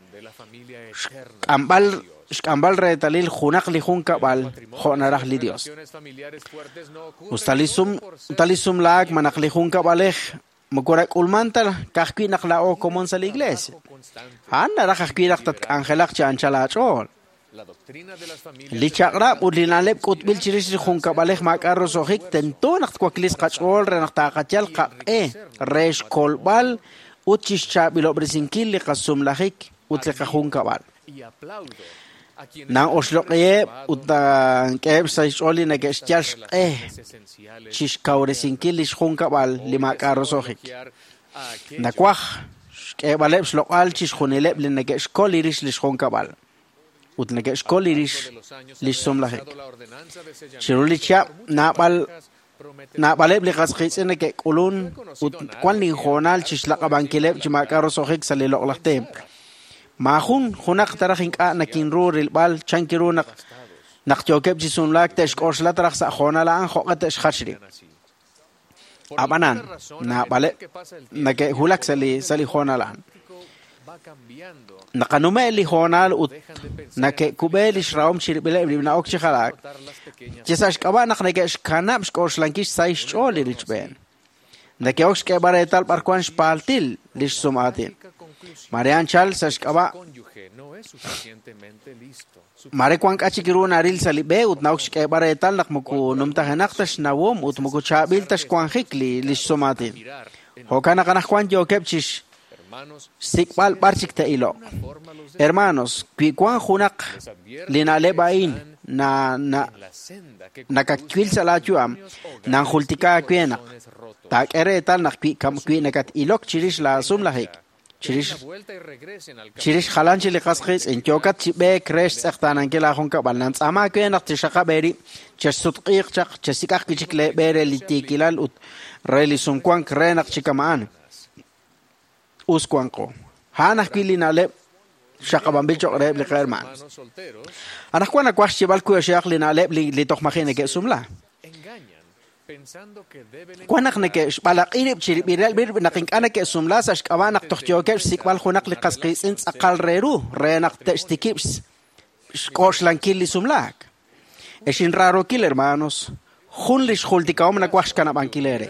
Xk'amb'al xk'amb'al reetalil junaq li junkab'al jo' naraj li Dios. Relaciones familiares fuertes no ocurren Usta li sum usta li sumlaak malaj li junkab'alej moko rak'ulman ta ka'ajwi' naq laa'o komon sa' li iglesia. A'an naraj ajwi' naq tatk'anjelaq chi anchal aach'ool. La doctrina de las familias Li chaq'rab' ut li na'leb' k'utb'il chirix li junkab'alej maak'a' roso'jik tento naq twaklis qach'ool re naq taaqayal qaq'e re xkolb'al ut chixchaab'ilob'resinkil li qasumlajik ut li qajunkab'al. y aplaudo a quienes Nan oxloq'iheb' ut nank'eheb' sa' xch'ool li neke'xyal xq'e esenciales chixkawresinkil li xjunkab'al li maak'a' roso'jik. a aquellos Nawaj xk'eeb'aleb' xloq'al chixjunileb' li neke'xkol rix li xjunkab'al ut neke'xkol rix li xsumlajik. la ordenanza de sellamiento Chiru li chihab' naab'al naab'aleb' li qas qiitz'in neke'k'ulun ut wan linhoonal chixlaq'ab'ankileb' chi maak'a' roso'jik sa' li loq'laj templo. Maajun junaq taraj ink'a' nakinru rilb'al chank ru naq naq yookeb' chi sumlaak te'xk'oxla taraj sa' hoonal a'an jo'q'e te'xjach rib'. Ab'anan naab'aleb' neke'wulak sa' li sa' li hoonal a'an. va cambiando Naqanume' li hoonal ut nake'kub'e li xrahom chirib'ileb' rib' na'ok chi jalaak. Chi sa' xk'ab'a' naq neke'xkanab' xk'oxlankil xsahil xch'ool li richb'een. Neke'ok xk'eeb'al reetal b'ar wan xpaaltil li xsum'aatin. Mare anchal sa' xk'ab'a' cónyuge no es suficientemente listo. mare wan k'a chik ru naril sa' li b'e ut na'ok xk'eeb'al reetal naq moko numtajenaq ta xnawom ut moko chaab'il ta xwanjik li li xsum'aatin. Jo'kan naq anaqwan yookeb' chi Hermanos, xsik'b'al b'ar chik te'iloq. Hermanos, wi wan junaq li na'leb' a'in na na la senda que nakakwil sa' laayu'am nanjultika aawe naq taak'e reetal naq wi kam wi nakat-ilok chirix laasumlajik Chirix chirix jalan chi li qas qiitz'in yookat chi b'eek re xtz'eqtaanankil aajunkab'al nantz'aama aawe naq tixaqab' eerib' chexsutq'iiq chaq chesik'aq wi' chik leeb'e re li tiikilal ut re li sumwank re naq chikama'an us wanqo a'an ajwi' li na'leb' xaqab'anb'il cho'q reheb' li qahermaan. Anaqwan nawaj xyeeb'al kuyoxehaq li na'leb' li toj maji' neke'sumla. Wan naq neke'xb'alaq'i rib' chirib'ileb' rib' naq ink'a' neke'sumla sa' xk'ab'a' naq toj yookeb' xsik'b'al junaq li qas qiitz'in tz'aqal re ru re naq te'xtikib' xk'oxlankil li sumlaak. Ex inraarokil hermanos, jun li xjultikahom nawaj xkanab'ankil eere.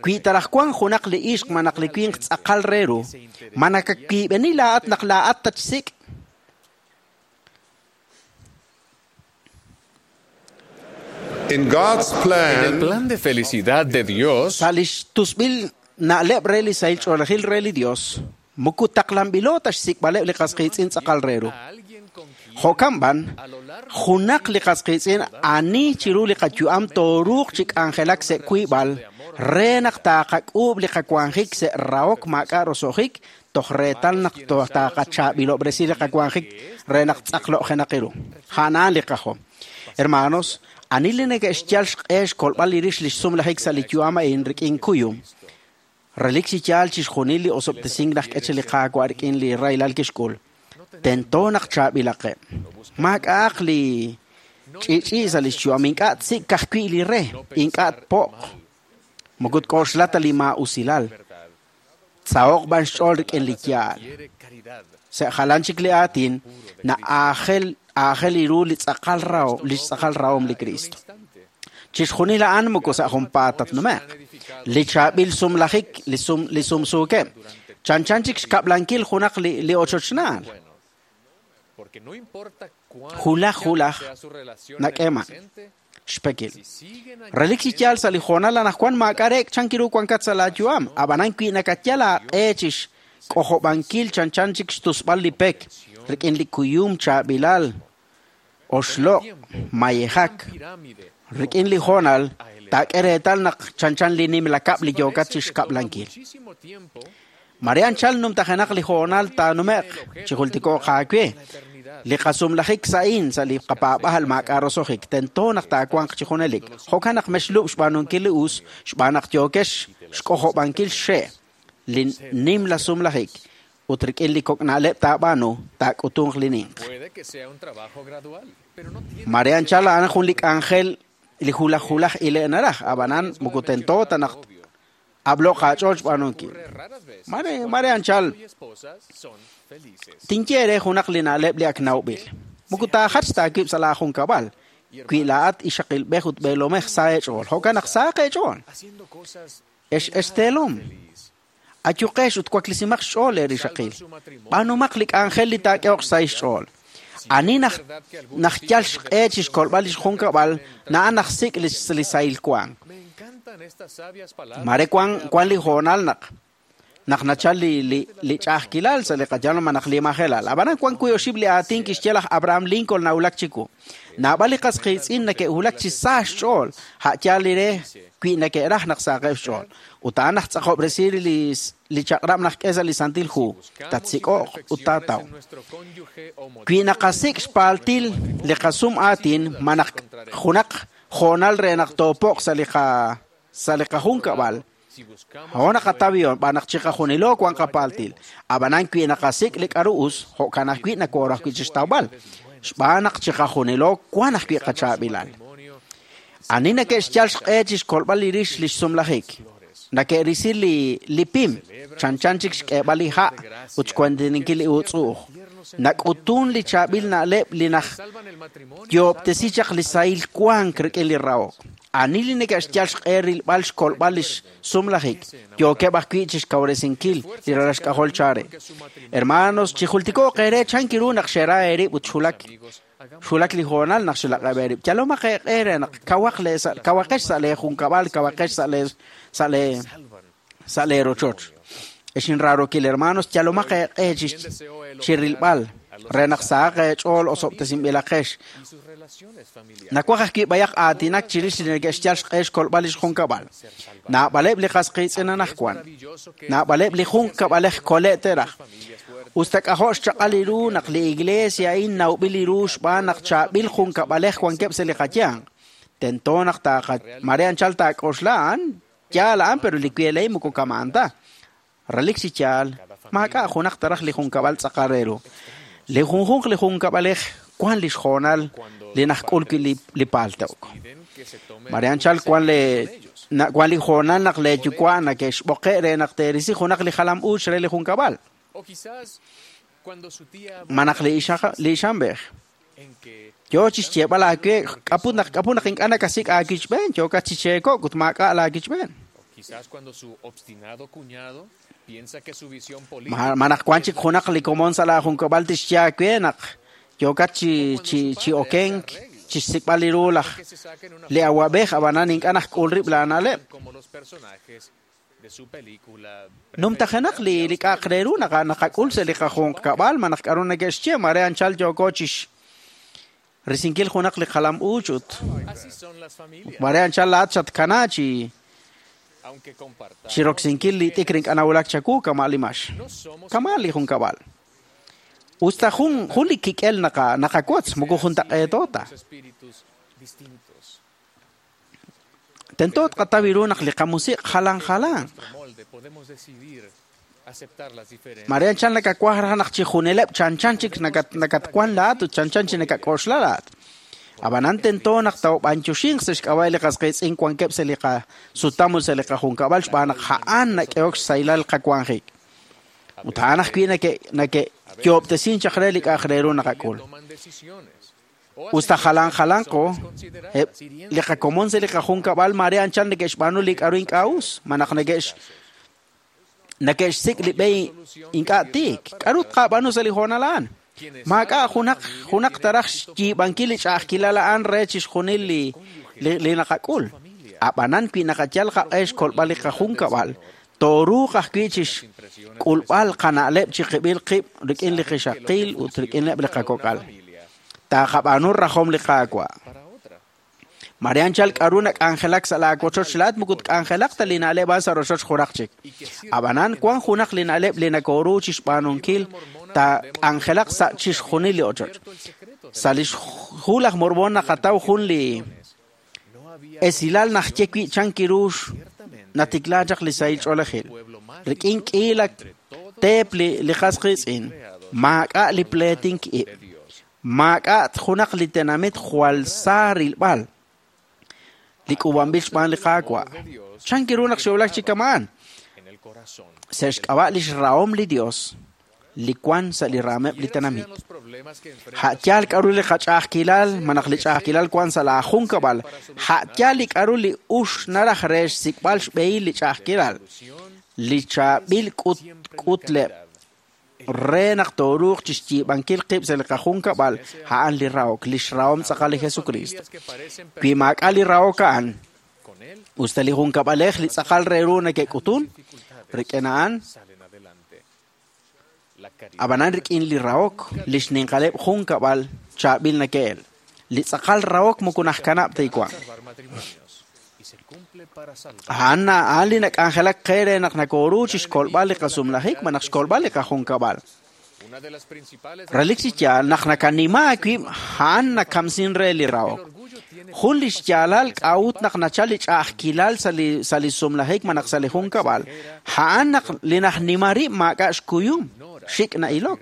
Wi taraj wan junaq li ixq ma naq li winq tz'aqal re ru, ma nakawiib'eni laa'at naq laa'at tatxsik'? In God's En el plan, plan de felicidad de Dios, Sa' li xtusb'il na'leb' re li sahil ch'oolejil re li Dios, muku taqlanb'ilo ta xsik'b'aleb' li qas qiitz'in tz'aqal re ru. Jo'kan b'an, junaq li qas qiitz'in ani chiru li qayu'am tooruuq chi k'anjelak sa' wiib'al re naq taaqak'uub' li qawanjik sa' rahok maak'a' roso'jik toj reetal naq taaqachaab'ilob'resi li qawanjik re naq tz'aqlo'jenaq ru. A'an li qajom. Hermanos, ani li neke'xyal xq'e xkolb'al li rix li xsumlajik sa' li yu'am a'in rik'in kuyum. Relik chi yaal chixjunil li osob'tesink naq k'e chi li Qaawa' rik'in li rahilal kixk'ul. Tento naq chaab'ilaqeb'. Maak'a'aq li ch'i'ch'i' sa' li xyu'am ink'a' tsik' ka'ajwi' li re, ink'a' tpo'q. Moko tk'oxla ta li maa'usilal. Tsaho'q b'an xch'ool rik'in li yaal. Sa' jalan chik li aatin, na'aajel aajel ru li tz'aqal rahom, li xtz'aqal rahom li Cristo. Chixjunil a'an moko sa' junpaat tatnume'q. Li chaab'il sumlajik, li sum li sumsuukeb'. Chanchan chik xkab'lankil junaq li li ochochnaal. porque no importa cuán Hulaj, hulaj, sea su relación en el nak'eema. presente, Xpekil. si siguen Relik chi yaal sa' li hoonal anaqwan maak'a'reek chankiru wankat sa' laayu'am. Ab'anan wi' nakatyal aaq'e chi xk'ojob'ankil chanchan chik xtusb'al li pek rik'in li kuyum chaab'ilal oxloq' mayejak. pirámide Rik'in li hoonal taak'e reetal naq chanchan li nimla kab' li yookat chi Parece que toma xkab'lankil. muchísimo tiempo Mare anchal numtajenaq li hoonal taanume'q chi jultikooq aawe. Li qasumlajik sa'in sa' li qapaab'ajal maak'a' roso'jik tento naq taawanq chi junelik. Jo'kan naq mexlub' xb'aanunkil li us xb'aan naq yookex xk'ojob'ankil xxe' li nimla sumlajik ut rik'in li kok' na'leb' taab'aanu taak'utunq li ninq. Puede que sea un trabajo gradual, pero no tiene Mare anchal a'an jun li k'anjel li julaj julaj ile' naraj ab'anan moko tento ta naq ab'loq aach'ool xb'aanunkil. raras veces Mare mare anchal y esposas son felices. tinye re junaq li na'leb' li ak nawb'il. Moko taajach taawib' sa' laajunkab'al. Wi laa'at ixaqilb'ej ut b'eelomej sa eech'ool. Jo'kan naq saaq eech'ool. Haciendo cosas Ex exteelom. Ayuqex ut waklisimaq xch'ool eerixaqil. B'aanumaq li k'anjel li taak'ehoq sa' xch'ool. Ani naj naj yal xq'e chi xkolb'al li xjunkab'al na'an naj sik' li li sahil wank. Me encantan estas sabias palabras. Mare wan wan li hoonal naq naq nachal li li li ch'a'ajkilal sa' li qayal ma naq li majelal. Ab'anan wan kuy oxib' li aatin kixye laj Abraham Lincoln nawulak chiku. Naab'al li qas qiitz'in neke'wulak chi sa xch'ool a' yaal li re wi neke'raj naq saaqeb' xch'ool. Ut a'an naj tz'aqob'resi li li chaq'rab' naj k'e sa' li Santil Hu. Tatsik'o'q ut taataw. En nuestro cónyuge o Wi naqasik' xpaaltil li qasum aatin ma naq junaq hoonal re naq toopo'q sa' li qa sa' li qajunkab'al. si buscamos Ho naqatabion b'an naq chiqajunilo wan qapaaltil. Ab'anan wi naqasik' li k'aru us jo'kan ajwi' nakooraj wi' chixtawb'al. Xb'aan naq chiqajunilo wan ajwi' qachaab'ilal. matrimonio, Ani neke'xyal xq'e chi xkolb'al li rix li xsumlajik. Nake'risi li li pim chanchan chik xk'eeb'al li ha' ut xkuantininkil li uutz'u'uj. Nak'utun li chaab'il na'leb' li naj salvan el matrimonio. yoob'tesi chaq li sahil wank rik'in li rahok. Ani li neke'xyal xq'e rilb'al xkolb'al li xsumlajik yookeb' ajwi' chi xkawresinkil li ralal xk'ajol chare. Hermanos, chijultikooq eere chankiru naq xera eerib' ut xulak xulak li hoonal naq xulaq'eb' eerib'. Yalomaq eeq'e re naq kawaq lee sa' kawaqex sa' leejunkab'al, kawaqex sa' lee sa' lee sa' leerochoch. Ex inraarokil hermanos, yalomaq eeq'e chi chi rilb'al re naq sahaq eech'ool osob'tesinb'ilaqex Nawaj ajwi' b'ayaq aatinak chirix li neke'xyal xq'e xkolb'al li xjunkab'al. Naab'aleb' li qas qiitz'in anaqwan. Naab'aleb' li junkab'alej kole' teraj. Usta k'ajo' xchaq'al li ru naq li iglesia a'in nawb'il li ru xb'aan naq chaab'il junkab'alej wankeb' sa' li qayanq. Tento naq taaqa mare anchal taak'oxla a'an yaal a'an pero li wieley moko kama'an ta. Relik chi yaal maak'a' junaq taraj li junkab'al tz'aqal re ru. Li junjunq li junkab'alej wan li xjoonal li najk'ul wi' li li paalte'ok. Mare anchal wan le na wan li joonal naq le yuwa' nake'xb'oqe' re naq teerisi junaq li jalam uuch re li junkab'al. Manaq li ixaq li ixamb'ej. Yo chi xyeeb'al aawe k'aput naq k'aput naq ink'a' nakasik' aakichb'een yookat chi cheekok' ut maak'a' laakichb'een. Manaq wan chik junaq li komon sa' laajunkab'al tixye aawe naq yookat chi chi chi okenk chi xsik'b'al li ru laj li awab'ej ab'anan ink'a' najk'ul rib' laana'leb'. Numtajenaq li li k'a'aq re ru naq naqak'ul sa' li qajunqkab'al manaq k'aru neke'xye mare anchal yooko chi risinkil junaq li qalam uuch ut mare anchal laat xatkana chi chi roksinkil li t'ikr ink'a' nawulak chawu kama' li max kama' li junkab'al. Usta jun jun li kik'el naqa naqawotz moko juntaq'eeto ta. Tento tqataw ru naq li qamusiq' jalan jalan. Mare anchal nakawaj raj naq chi juneleb' chanchan chik nakat nakatwan laat ut chanchan chi nakak'oxla laat. Ab'anan tento naq tawb'anyoxinq sa' xk'ab'a' li qas qiitz'in wankeb' sa' li qasutam ut sa' li qajunkab'al xb'aan naq a'an nak'ehok xsahilal qawanjik. Ut a'an ajwi' nake' nake'yoob'tesin chaq re li k'a'aq re ru naqak'ul. Usta jalan jalanqo li qakomon sa' li qajunkab'al mare anchal neke'xb'aanu li k'aru ink'a' us manaq neke'x neke'xsik' li b'e ink'a' tiik. K'aru tqab'aanu sa' li hoonal a'an? Maak'a' junaq junaq taraj xyiib'ankil li ch'a'ajkilal a'an re chixjunil li li naqak'ul. Ab'anan wi naqayal qaq'e xkolb'al li qajunkab'al tooruuq ajwi' chi xk'ulb'al qana'leb' chi qib'il qib' rik'in li qixaqil ut rik'ineb' li qakok'al. Taaqab'aanu rajom li Qaawa'. Mare anchal k'aru nak'anjelak sa' laawochoch laat moko tk'anjelaq ta li na'leb' a'an sa' rochoch junaq chik. Ab'anan wan junaq li na'leb' li nakooru chi xb'aanunkil taak'anjelaq sa' chixjunil li ochoch. Sa' li xhu laj Mormón naqataw jun li esilal najye wi' chan kirux natikla chaq li sahil ch'oolejil. Rik'in k'iila teep li li qas qiitz'in maak'a' li pleetink ib'. Maak'a' junaq li tenamit jwal sa rilb'al li k'uub'anb'il xb'aan li Qaawa'. Chan kiru naq xe'wulak chi kama'an? Sa' xk'ab'a' li xrahom li Dios li wan sa' li raameb' li tenamit. Ha'yaal k'aru li qach'a'ajkilal manaq li ch'a'ajkilal wan sa' laajunkab'al. Ha'yaal li k'aru li ux naraj re xsik'b'al xb'ehil li ch'a'ajkilal. Li chaab'il k'ut k'utleb' re naq tooruuq chi xyiib'ankil qib' sa' li qajunkab'al a'an li rahok, li xrahom tz'aqal li Jesucristo. Wi maak'a' li rahok a'an, usta li junkab'alej li tz'aqal re ru neke'k'utun, rik'in a'an ab'anan rik'in li rahok li xninqaleb' junkab'al chaab'il nake'el. Li tz'aqal rahok moko najkanab' ta iwan. A'an a'an li nak'anjelak qe re naq nakooru chi xkolb'al li qasumlajik manaq xkolb'al li qajunkab'al. Relik chi yaal naq nakanima aawib' a'an nakamsin re li rahok. Jun li xyaalal k'a'ut naq nachal li ch'a'ajkilal sa' li sa' li sumlajik manaq sa' li junkab'al. A'an naq li najnima rib' maak'a' xkuyum, xik' na'ilok.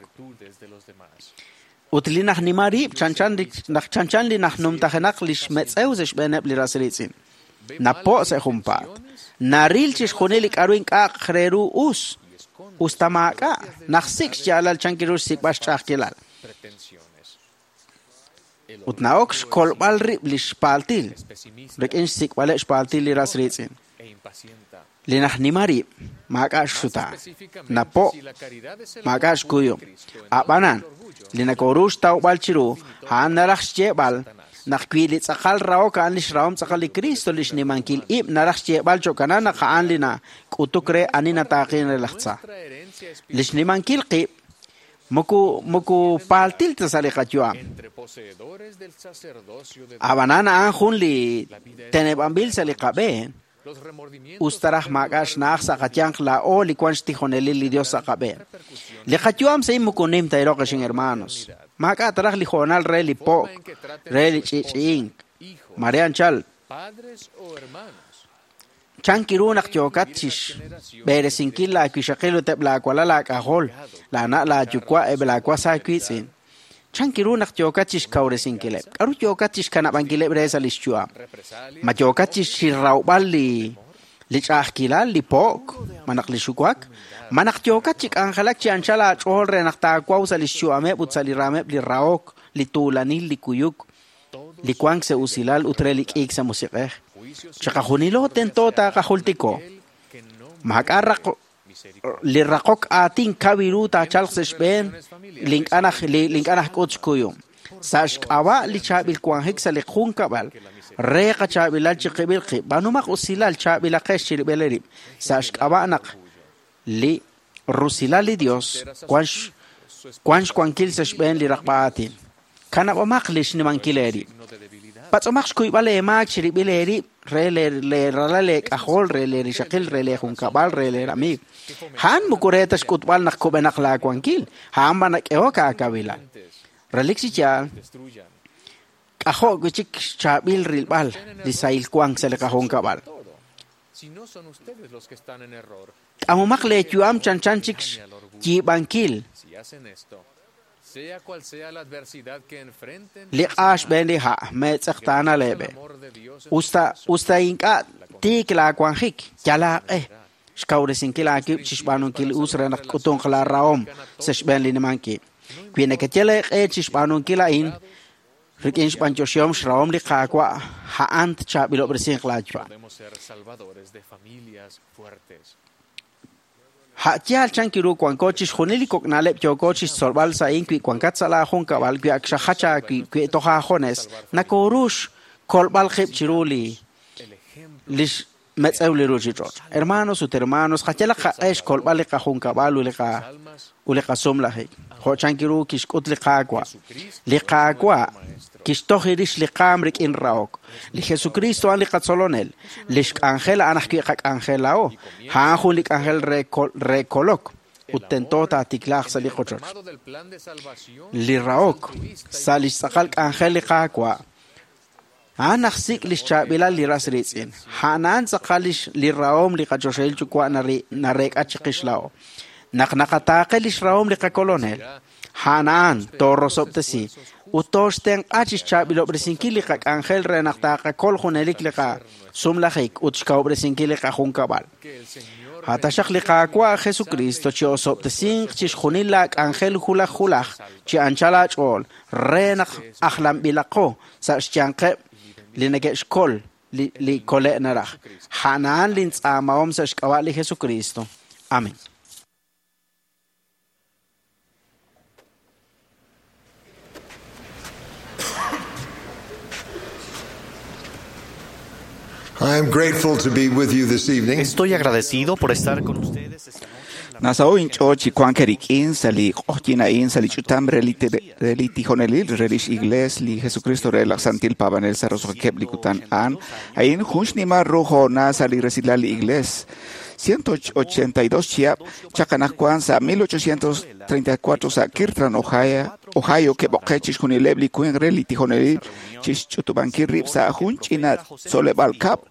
Ut li najnima rib' chanchan li naq chanchan li najnumtajenaq li xmetz'ew sa' xb'eeneb' li ras riitz'in. Napo' sa' junpaat. Naril chixjunil li k'aru ink'a'aq re ru us. Usta maak'a' najsik' xyaalal chan kiru xsik'b'al xch'a'ajkilal. Ut na'ok xkolb'al rib' li xpaaltil rik'in xsik'b'aleb' xpaaltil li ras riitz'in. Li najnima rib' maak'a' xsuta. Napo' maak'a' xkuyum. Ab'anan li nakooru xtawb'al chiru a'an naraj xyeeb'al naq wi li tz'aqal rahok a'an li xrahom tz'aqal li Cristo li xnimankil ib' naraj xyeeb'al cho'kanan naq a'an li nak'utuk re ani nataaqin re laj tza. Li xnimankil qib' Moko moko paltil ta sa li qayu'am. Ab'anan a'an jun li teneb'anb'il sa li qab'een. Us taraj maak'a' xna'aj sa' qayanq laa'o li wan xtijonelil li Dios sa' qab'een. Li qayu'am sa' moko nim ta iroq xin hermanos. Maak'a' taraj li jo'nal re li po'k, re li ch'i'ch'i'ink. Marian chal. Chan kiru naq yookat chix b'eresinkil laawixaqil ut eb' laawalal laak'ajol, laana' laayuwa' eb' laawas aawiitz'in. Chan kiru naq yookat chixkawresinkileb'. K'aru yookat chixkanab'ankileb' re sa' li xyu'am. Ma yookat chixrawb'al li li ch'a'ajkilal, li po'k, ma naq li xuwak, ma naq yookat chi k'anjelak chi anchal aach'ool re naq taawaw sa' li xyu'ameb' ut sa' li raameb' li rahok, li tuulanil, li kuyuk, li wank sa' usilal ut re li k'iik sa' musiq'ej. Chiqajunilo tento taaqajultiko. Maak'a' raq li raqok aatin kawiru taachalq sa' xb'een li ink'a' naj li ink'a' najk'ut xkuyum. Sa' xk'ab'a' li chaab'il wanjik sa' li junkab'al re qachaab'ilal chiqib'il qib', b'aanumaq usilal chaab'ilaqex chirib'il eerib'. Sa' xk'ab'a' naq li rusilal li Dios wan wan xwankil sa' xb'een li raqb'a aatin. Kanab'omaq li xnimankil eerib'. Patz'omaq xkuyb'al eemaak chirib'il eerib' re leeralal leek'ajol, re leerixaqil, re leejunkab'al, re leeramiig. A'an moko re ta xk'utb'al naq kub'enaq laawankil, a'an b'an nak'ehok aakawilal. Relik chi yaal, k'ajo' wi' chik xchaab'il rilb'al li sahil wank sa' li qajunkab'al. K'amomaq leeyu'am chanchan chik xyiib'ankil li q'a xb'een li ha' meetz'eqtaana leeb'e. Usta usta ink'a' tiik laawanjik, yal aaq'e xkawresinkil aawib' chixb'aanunkil us re naq k'utunq laarahom sa' xb'een li nimankib'. Wi nekeyal eeq'e chixb'aanunkil a'in rik'in xb'anyoxihom xrahom li Qaawa' a'an tchaab'ilob'resinq laayu'am. Ha'yaal chan kiru wanko chixjunil li kok'na'leb' yooko chixtzolb'al sa' a'in wi wankat sa' laajunkab'al wi ak xajach aawi' wi toj aajones nakoorux kolb'al qib' chiru li li xmetz'ew li ruuchich'och'. Hermanos ut hermanos, qayalaq qaq'e xkolb'al li qajunkab'al ut li qa ut li qasumlajik. Jo' chan kiru kixk'ut li Qaawa'. Li Qaawa' kixtoj rix li qaam rik'in rahok. Li Jesucristo a'an li qatzolonel. Li xk'anjel a'an ajwi' qak'anjel laa'o. A'an jun li k'anjel re re kolok ut tento taatiklaaq sa' li qochoch. Li rahok sa' li xtz'aqal k'anjel li Qaawa' a'an ajsik' li xchaab'ilal li ras riitz'in. A'an a'an tz'aqal li rahom li qachoxahil yuwa' nareek'a chiqix laa'o. Naq naqataaqe li xrahom li qakolonel, a'an a'an toorosob'tesi ut tooxtenq'a chixchaab'ilob'resinkil li qak'anjel re naq taaqakol junelik li qasumlajik ut xkawob'resinkil li qajunkab'al. Hataxaq li Qaawa' Jesucristo chi osob'tesinq chixjunil laak'anjel julaj julaj chi anchal aach'ool re naq ajlanb'ilaqo sa' xyanqeb' li neke'xkol li li kole' naraj. A'an a'an lintz'aamahom sa' xk'ab'a' li Jesucristo. Amén. I am grateful to be with you this evening. Estoy agradecido por estar con ustedes esta noche. Nasao inch'o chi wank rik'in sa' li q'oqyin a'in sa' li ch'utam re li tijonelil re lix iglees li Jesucristo re laj Santil Paab'anel sa' roso'jikeb' li kutan a'an. A'in jun xnimal ru jo'na sa' li resilal li iglees. ciento ochenta y dos chihab' chaq anaqwan sa' mil ochocientos treinta y cuatro sa' Kirtland, Ohio, Ohio ke'b'oqe chixjunileb' li winq re li tijonelil chixch'utub'ankil rib' sa' jun ch'ina tzoleb'al kab'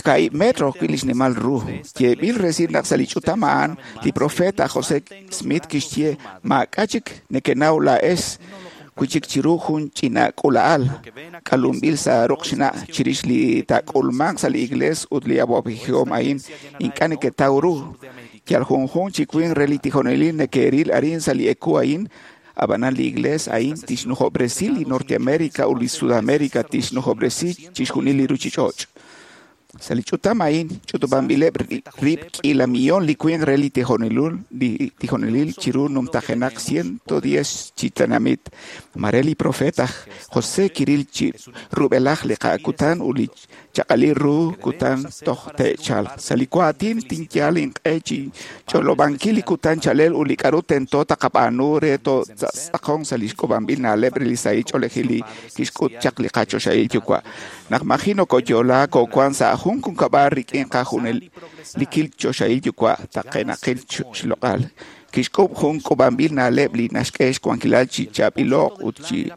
kaib' metro wi' li xnimal ru. Yeeb'il resil naq sa' li ch'utam a'an li profeta José Smith kixye maak'a' chik nekenaw laa'ex wi' chik chiru jun ch'ina k'ula'al k'alunb'il sa' ruq xna' chirix li taak'ulmanq sa' li iglees ut li awab'ejihom a'in ink'a' neketaw ru. Yal junjun chi winq re li tijonelil neke'ril arin sa' li eku a'in, ab'anan li iglees a'in tixnujob'resi li Norteamérica ut li Sudamérica tixnujob'resi chixjunil li ruuchich'och'. Sa' li ch'utam a'in ch'utub'anb'ileb' rib' k'iila millón li winq re li tijonelil li tijonelil chiru numtajenaq ciento diez chi tenamit. Mare li profeet aj José kiril chi rub'elaj li qa'kutan ut li chaq'alil ru kutan toj te'chalq. Sa' li waatin tinyal inq'e chi ch'olob'ankil li kutan chalel ut li k'a'ru tento taqab'aanu re totz'aqon sa' li xk'ub'anb'il na'leb' re li sahil ch'oolejil li kixk'ut chaq li qachoxahil yuwa'. Naq maji nokoyo'laak koowan sa' jun junkab'al rik'in qajunel li kil choxahil yuwa' taqenaqil xloq'al. Kixk'ub' jun k'ub'anb'il na'leb' li naxk'e xwankilal chi chaab'ilo'q ut chi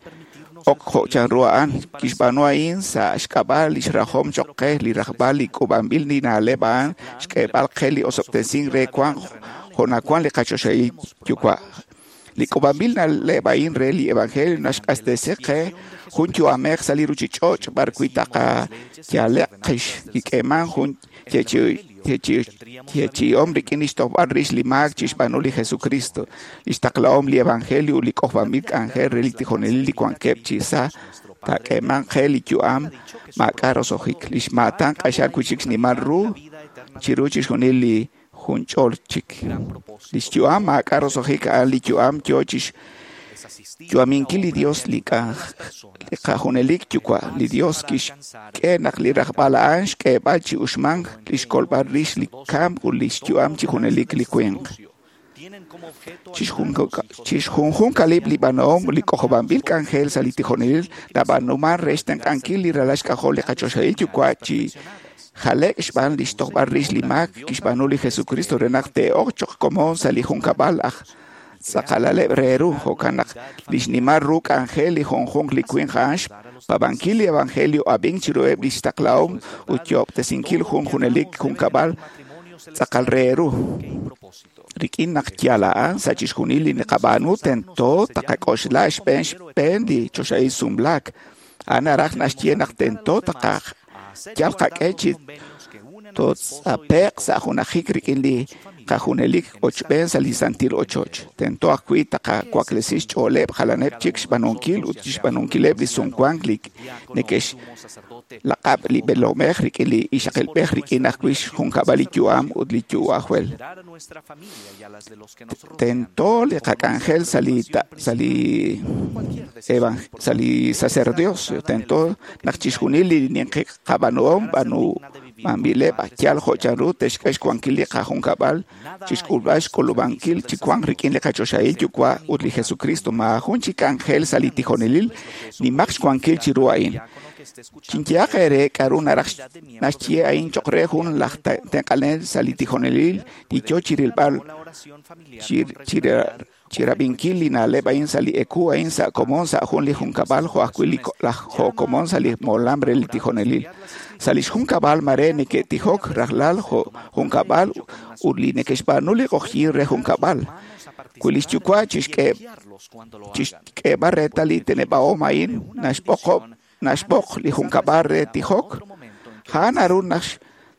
ok jo' chanru a'an. Kixb'aanu a'in sa' xk'ab'a' li xrajom choq' qe li rajb'al li k'ub'anb'il li na'leb' a'an xk'eeb'al qe li osob'tesink re wank jo' nawan li qachoxahil yuwa'. Li k'ub'anb'il na'leb' a'in re li evangelio naxq'axtesi qe jun yu'amej sa' li ruchich'och' b'arwi' taqayale'q qix kik'eeman jun yeechi'om rik'in li xtojb'al rix li maak chixb'aanu li Jesucristo, li xtaqlahom li evangelio ut li k'ojb'anb'il k'anjel re li tijonelil li wankeb' chi sa' taak'eeman qe li yu'am maak'a' roso'jik. Li xmaatan q'axal wi'chik xnimal ru chiru chixjunil li junch'ol chik. Li xyu'am maak'a' roso'jik a'an li yu'am yoo chix yu'aminkil li Dios li qajunelik yuwa'. Li Dios kixk'e naq li rajb'al a'an xk'eeb'al chi uxmank li xkolb'al rix li kamk ut li xyu'am chi junelik li winq. Chixjunjunqalib' li b'aanhom li k'ojob'anb'il k'anjel sa' li tijonelil nab'aanuman re xtenq'ankil li ralal xk'ajol li qachoxahil yuwa' chi jale'k xb'aan li xtojb'al rix li maak kixb'aanu li Jesucristo re naq te'ok choq' komon sa' li junkab'al aj tz'aqalaleb' re ru. Jo'kan naq li xnimal ru k'anjel li junjunq li winq a'an xpaab'ankil li evangelio ab'ink chiruheb' li xtaqlahom ut yo'ob'tesinkil jun junelik junkab'al tz'aqal re ru. Rik'in naq yal a'an sa' chixjunil li naqab'aanu tento taqak'oxla xb'een xb'een li choxahil sumlaak. A'an naraj naxye naq tento taqaj yal qak'e chi totz'ape'q sa' junajik rik'in li qajunelik ochb'een sa' li santil ochoch. Tento ajwi' taqawaklesi xch'ooleb' jalaneb' chik xb'aanunkil ut xb'aanunkileb' li sumwank li neke'xlaq'ab' li b'eelomej rik'in li ixaqilb'ej rik'in ajwi' xjunkab'al li yu'am ut li yu'ajwel. Tento li qak'anjel sa' li sa' li sa' li sacerdocio. Tento naq chixjunil li ninqi qab'aanuhom b'aanu b'anb'ileb' yal jo' chanru te'xk'e xwankil li qajunkab'al chixk'ulb'al xk'ulub'ankil chi wank rik'in li qachoxahil yuwa' ut li Jesucristo. Maajun chi k'anjel sa' li tijonelil nimaq xwankil chiru a'in. Chinyehaq eere k'a'ru naraj naxye a'in choq' re jun laj tenq'anel sa' li tijonelil li yoo chirilb'al chirab'inkil li na'leb' a'in sa' li eku a'in sa' komon sa' jun li junkab'al jo' ajwi' li laj jo' komon sa' li molam re li tijonelil. Sa' li xjunkab'al mare neke'tijok rajlal jo' junkab'al ut li neke'xb'aanu li q'oqyink re junkab'al. Wi li xyuwa' chixk'eeb'al reetal li teneb'ahom a'in naxb'oqob' naxb'oq li junkab'al re tijok, a'an naru naq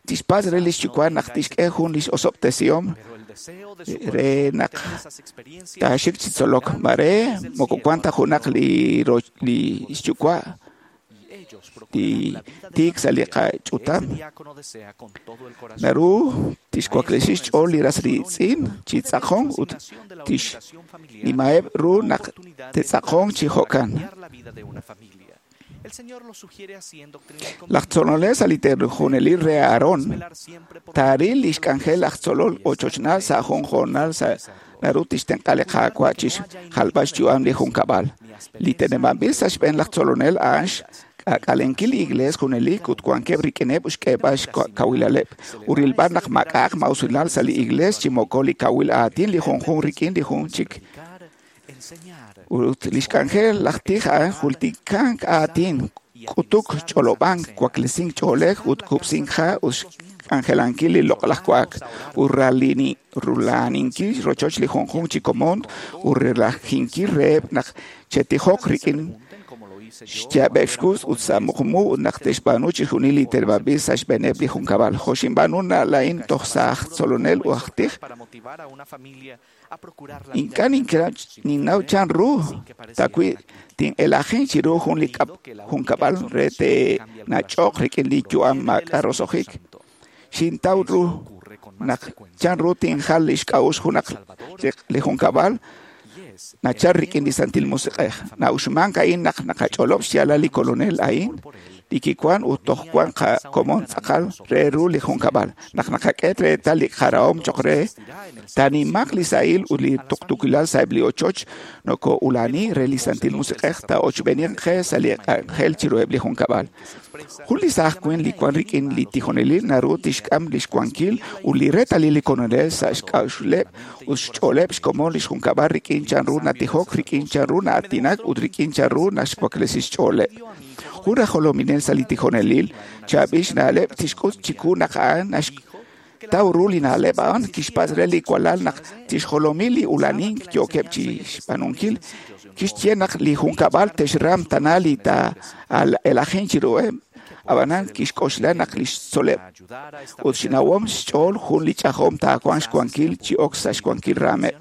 tixpatz' re li xyuwa' naq tixk'e jun li osob'tesihom re naq taaxik chi tzolok. Mare moko wan ta junaq li li xyuwa' li tiik sa' li qach'utam. Naru tixwaklesi xch'ool li ras riitz'in chi tz'aqon ut tixnimaheb' ru naq te'tz'aqon chi jo'kan. Laj tzolonel sa' li tijonelil re Aarón taaril li xk'anjel laj tzolol ochochnal sa' jun hoonal sa' naru tixtenq'a li Qaawa' chixjalb'al xyu'am li junkab'al. Li teneb'anb'il sa' xb'een laj tzolonel a'an xk'aak'alenkil li iglees junelik ut wankeb' rik'ineb' xk'eeb'al xkawilaleb' ut rilb'al naq maak'a'aq ma'usilal sa' li iglees chi moko li kawil aatin li junjunq rik'in li jun chik. Ut li xk'anjel laj tij a'an jultikank aatin, k'utuk, ch'olob'ank, waklesink ch'oolej ut kub'sink ha' ut xk'anjelankil li loq'laj wa'ak ut rula'aninkil rochoch li junjunq chi komon ut relajinkil reheb' naq che'tijoq rik'in xyaab'eb' xkux ut sa' muqmu ut naq te'xb'aanu chixjunil li teneb'anb'il sa' xb'eeneb' li junkab'al. Jo' xinb'aanu laa'in toj sa' aj tzolonel ut aj tij, ink'a' ninnaw chan ru tawi' tin'elajin chiru jun li junkab'al re te'nach'oq rik'in li yu'am maak'a' roso'jik. Xintaw ru naq chan ru tinjal li xk'a'uxl junaq li junkab'al nachal rik'in li Santil Musiq'ej. Na'uxmank a'in naq naqach'olob' xyaalal li Kolonel a'in, li kiwan ut toj wan qakomon tz'aqal re ru li junkab'al. Naq naqak'e reetal li qarahom choq' re, taanimaq li sahil ut li tuqtuukilal sa'eb' li ochoch noko'ulani re li Santil Musiq'ej taa'ochb'eeniq qe sa' li k'anjel chiruheb' li junkab'al. Jun li saaj winq li wan rik'in li tijonelil naru tixk'am lix wankil ut li reetalil li Kolonel sa' xk'a'uxleb' ut xch'ooleb' xkomon lix junkab'al rik'in chanru natijok, rik'in chanru na'aatinak ut rik'in chanru naxwaklesi xch'ooleb'. Jun aj jolominel sa' li tijonelil chaab'il xna'leb' tixk'ut chiku naq a'an naxtaw ru li na'leb' a'an kixpatz' re li walal naq tixjolomi li ulanink yookeb' chi xb'aanunkil. Kixye naq li junkab'al te'xram tana li taa'elajin chiruheb', ab'anan kixk'oxla naq li xtzoleb' ut xnawom xch'ool jun li ch'ajom taawanq xwankil chi ok sa' xwankil raameb'.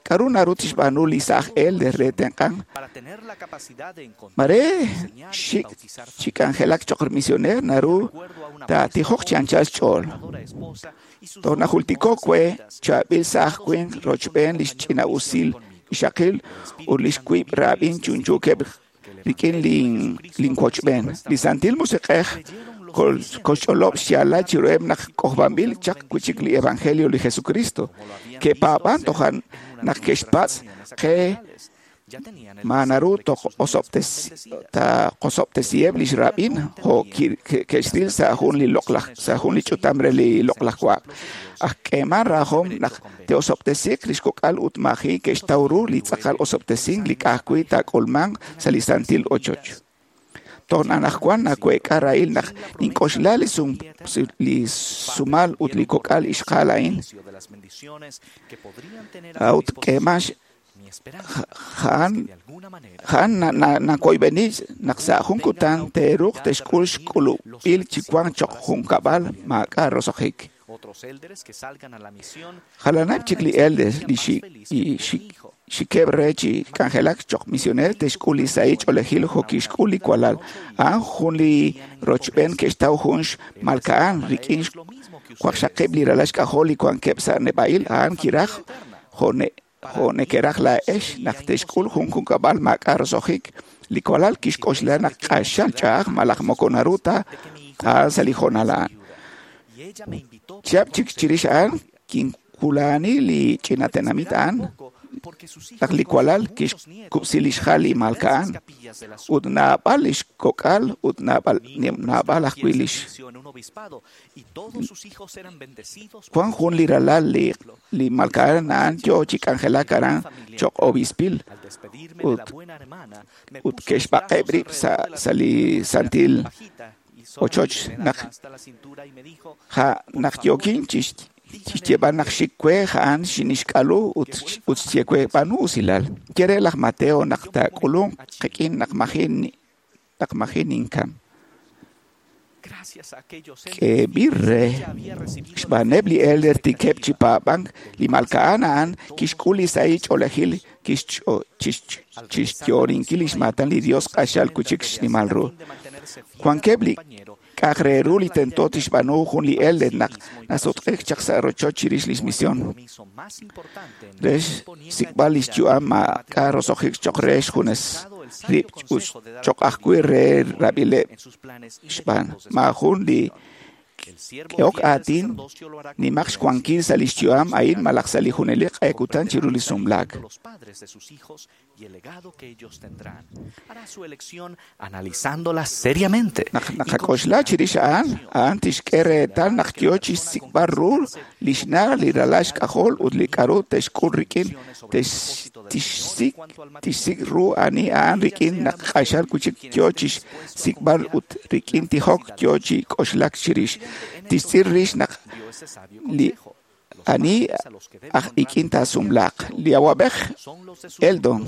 K'aru naru tixb'aanu li saaj elder re tenq'ank? Mare xik chi k'anjelak choq' misioneer naru taatijoq chi anchal xch'ool. Toj najultiko' we chaab'il saaj winq rochb'een li xch'ina'usil ixaqil ut li xwiib' raab'in chunchuukeb' rik'in linwochb'een. Li Santil Musiq'ej koxch'olob' xyaalal chiruheb' naq k'ojb'anb'il chaq wi'chik li Evangelio li Jesucristo. Ke'paab'an tojan naq ke'xpatz' qe ma naru taqosob'tesiheb' lix rab'in jo' ke'xril sa' jun li loq'laj sa' jun li ch'utam re li loq'laj wa'ak. Aj k'eeman rajom naq te'osob'tesiiq lix kok'al ut maaji' ke'xtaw ru li tz'aqal osob'tesink li ka'ajwi' taak'ulmanq sa' li santil ochoch. Toj anaqwan naweek'a rahil naq nink'oxla li sumal ut li kok'al ixqa'al a'in. A'ut k'eeman ja'an nakoyb'eni naq sa' jun kutan te'ruuq te'xk'ul xk'ulub'il chi wank choq' junkab'al maak'a' roso'jik. Jalaneb' chik li elders li xikeb' re chi k'anjelak choq' misioneer te'xk'ul li sahil ch'oolejil jo' kixk'ul li walal. A'an jun li rochb'een ke'xtaw jun xmalka'an rik'in waqxaqib' li ralal xk'ajol li wankeb' sa' neb'a'il. A'an kiraj jo' nekeraj laa'ex naq te'xk'ul jun junkab'al maak'a' roso'jik. Li walal kixk'oxla naq q'axal ch'a'aj malaj moko naru ta a'an sa' li hoonal a'an. Chihab' chik chirix a'an kinwula'ani li ch'ina tenamit a'an naq li walal kixkub'si li xjal li malka'an ut naab'al lix kok'al ut naab'al naab'al ajwi' lix wan jun li ralal li li malka'an a'an yoo chi k'anjelak aran choq' obispil ut ut ke'xb'aqeb' rib' sa' sa' li santil ochoch naq ja naq yookin chi xyeeb'al naq xik we a'an xinixk'alu ut ut xye we b'aanu usilal. Ye re laj Mateo naq taak'ulunq qik'in naq maji' naq maji' ninkam. K'eeb'il re xb'aaneb' li elder tikeb' chi paab'ank li malka'an a'an kixk'ul li sahil ch'oolejil chixyoorinkil lix maatan li Dios q'axal wi'chik xnimal ru. Wankeb' li k'a'aq re ru li tento tixb'aanu jun li elder naq nasutq'ik chaq sa' rochoch chirix lix misión. Re xsik'b'al lix yu'am maak'a' roso'jik choq' re xjunes rib' ut choq' ajwi' re rab'ileb' xb'aan. Maajun li k'ehok aatin nimaq xwankil sa' lix yu'am a'in malaj sa' li junelik q'e kutan chiru li sumlaak. Naq naqak'oxla chirix a'an, a'an tixk'e reetal naq yoo chi xsik'b'al ru li xna' li ralal xk'ajol ut li k'aru te'xk'ul rik'in tixsik' tixsik' ru ani a'an rik'in naq q'axal wi'chik yoo chi xsik'b'al ut rik'in tijok yoo chi k'oxlak chirix. Tixtz'il rix naq li Ani aj ik'in taasumlaaq. Li awab'ej Eldon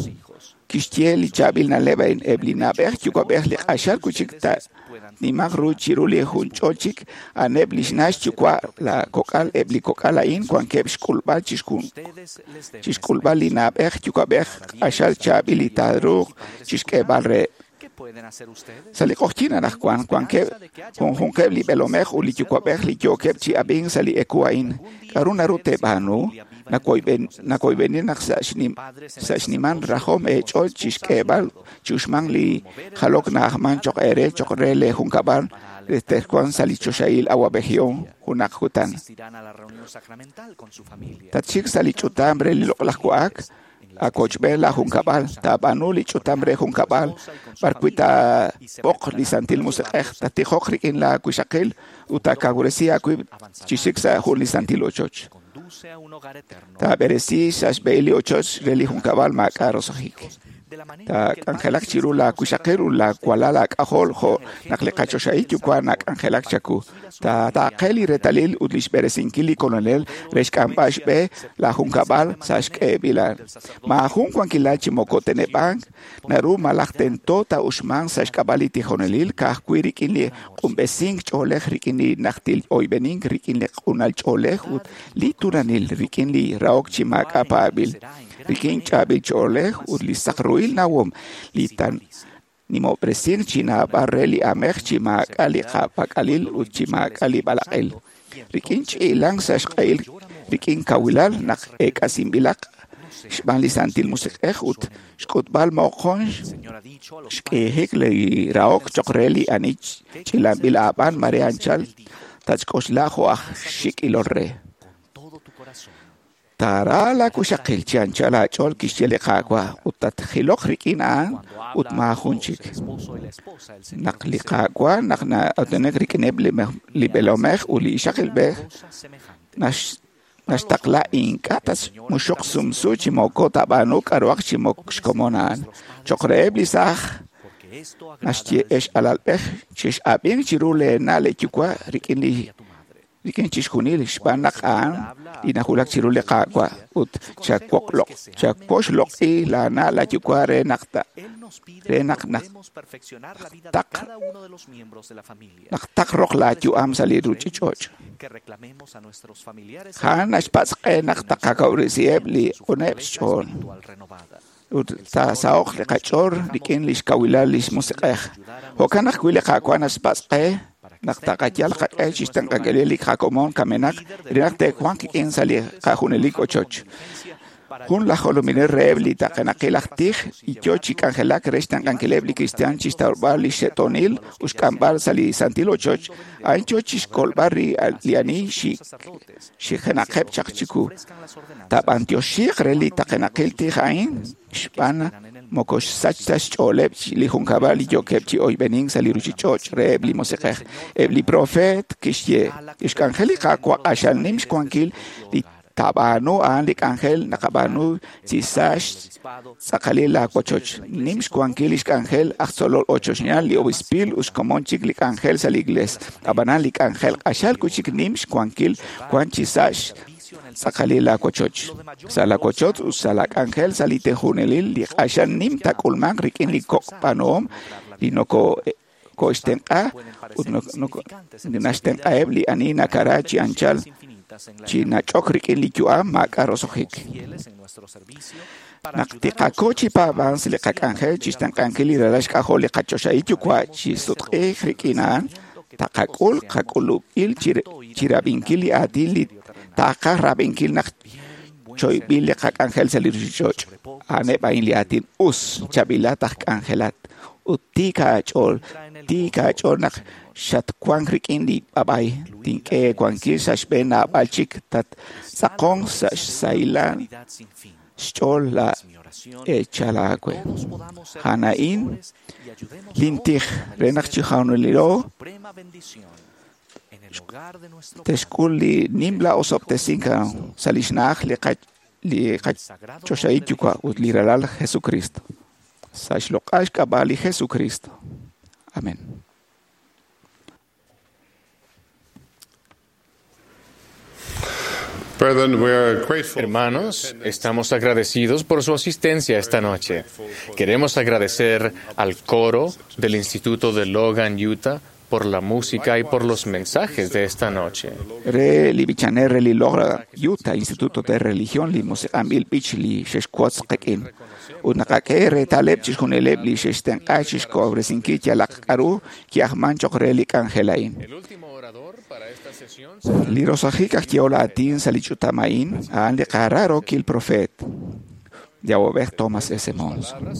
kixye li chaab'il na'leb' a'in eb' li na'b'ej yuwa'b'ej li q'axal wi' chik nimaq ru chiru li junch'ol chik a'aneb' li xna' xyuwa' la kok'al eb' li kok'al a'in wankeb' xk'ulb'al chixk'ulb'al li na'b'ej yuwa'b'ej q'axal chaab'il li taaruuq chixk'eeb'al reheb'. Sa' li q'oqyink anaqwan wankeb' junjunqeb' li b'eelomej ut li yuwa'b'ej li yookeb' chi ab'ink sa' li eku a'in. K'aru naru teeb'aanu? Nakoyb'eni naq sa' xnimal rajom eech'ool chixk'eeb'al chi uxmank li jalok na'ajman cho'q eere cho'q re leejunkab'al re texwanq sa' li choxahil awab'ejihom junaq kutan. Tatxik sa' li ch'utam re li loq'laj wa'ak akochb'een la junkab'al taab'aanu li ch'utam re junkab'al b'arwi' taab'oq li Santil Musiq'ej tatijoq rik'in la wixaqil ut taakawresi aawib' chi xik sa' jun li santil ochoch. Taab'eresi sa' xb'ehil li ochoch re li junkab'al maak'a' roso'jik. Taak'anjelaq chiru la wixaqil ut la walal aak'ajol jo' naq li qachoxahil yuwa' nak'anjelak chaku. Taataaqe li reetalil ut li xb'eresinkil li Kolonel re xk'amb'al xb'e la junkab'al sa' xk'eeb'ilal. Maajun wankilal chi moko teneb'ank naru malaj tento taa'uxmanq sa' xk'ab'a' li tijonelil ka'ajwi' rik'in li q'unb'esink ch'oolej rik'in li najtil oyb'enink rik'in li q'unal ch'oolej ut li turanil rik'in li rahok chi maak'a' paab'il rik'in chaab'il ch'oolej ut li saq ruhil nawom li tan nimob'resink chi naab'al re li amej chi maak'a' li qapak'alil ut chi maak'a' li b'alaq'il rik'in ch'iilank sa' xq'ehil rik'in kawilal naq eek'asinb'ilaq xb'aan li Santil Musiq'ej ut xk'utb'al moqon xk'iijik li rahok cho'q re li ani ch'ilanb'il aab'an mare anchal tatxk'oxla jo' aj xik' ilol re. Taara la wixaqil chi anchal aach'ool kixye li Qaawa' ut tatjiloq rik'in a'an ut maajun chik. Naq li Qaawa' naq na'aatinak rik'ineb' li b'eelomej ut li ixaqilb'ej naxtaqla ink'a' tatmuxuq sumsu chi moko taab'aanu k'a'ruhaq chi moko xkomon a'an. Cho'q reheb' li saaj naxye ex alalb'ej chex'ab'ink chiru leena' leeyuwa' rik'in li rik'in chixjunil xb'aan naq a'an li nawulak chiru li Qaawa' ut chawoxloq'i laana' laayuwa' re naq re naq naq taq naq taqroq laayu'am sa' li ruuchich'och'. A'an naxpatz' qe naq taqakawresiheb' li q'uneb' xch'ool ut taasaho'q li qach'ool rik'in li xkawilal li xmusiq'ej. Jo'kan ajwi' li Qaawa' naxpatz' qe naq taqayal qaq'e chixtenq'ankil li qakomon kamenaq re naq te'wanq qik'in sa' li qajunelik ochoch. Jun laj jolominel reheb' li taqenaqil aj tij y yo chi k'anjelak re xtenq'ankileb' li kristiaan chixtawb'al li xe'toonil ut xk'amb'al sa' li santil ochoch, a'in yo chixkolb'al li ani xijenaqeb' chaq chiku. Taab'antioxiiq re li taqenaqil tij a'in xb'aan moko xsach ta xch'ooleb' li junkab'al li yookeb' chi oyb'enink sa' li ruuchich'och' reheb' li musiq'ej. Eb' li profeet kixye li xk'anjel li Qaawa' q'axal nim xwankil li taab'aanu a'an li k'anjel naqab'aanu chi sa' xtz'aqalil laawochoch. Nim xwankil li xk'anjel aj tzolol ochochnaal li obispil ut xkomon chik li k'anjel sa' li iglees. Ab'anan li k'anjel q'axal wi' chik nim xwankil wan chi sa' xtz'aqalil laawochoch. Sa' laawochoch ut sa' laak'anjel sa' li tejunelil li q'axal nim taak'ulmanq rik'in li kok' b'aanuhom li noko koxtenq'a ut naxtenq'aheb' li ani nakara chi anchal chi nach'ok rik'in li yu'am maak'a' roso'jik. Naq tiqako chi paab'ank sa' li qak'anjel chixtenq'ankil li ralal xk'ajol li qachoxahil yuwa' chi sutq'iik rik'in a'an, taqak'ul qak'ulub'il chirab'inkil li aatin li taqaj rab'inkil naq choyb'il li qak'anjel sa' li ruuchich'och'. A'aneb' a'in li aatin us chaab'ilat aj k'anjelat ut tiik aach'ool, tiik aach'ool naq xatwank rik'in li b'ab'ay tink'e wankil sa' xb'een naab'al chik tattz'aqonq sa' xsahilal xch'ool la eechal aawe. A'an a'in lintij re naq chi junilo texk'ul li nimla osob'tesink sa' li xna'aj li li qachoxahil yuwa' ut li ralal Jesucristo. Sa' xloq'al xk'ab'a' li Jesucristo. Amén. Hermanos, estamos agradecidos por su asistencia esta noche. Queremos agradecer al coro del Instituto de Logan, Utah, por la música y por los mensajes de esta noche. Re li bichanel re li logra Utah Instituto de Religión li musiq'anb'il b'ich li xexwotz qik'in. Ut naqak'e reetaleb' chixjunileb' li xextenq'a chixk'ob'resinkil yalaq k'a'ru ki'ajman choq' re li k'anjel a'in. Li rosajik aj yehol aatin sa' li ch'utam a'in a'an li qararokil profeet Yawob'ej Thomas S. Monson.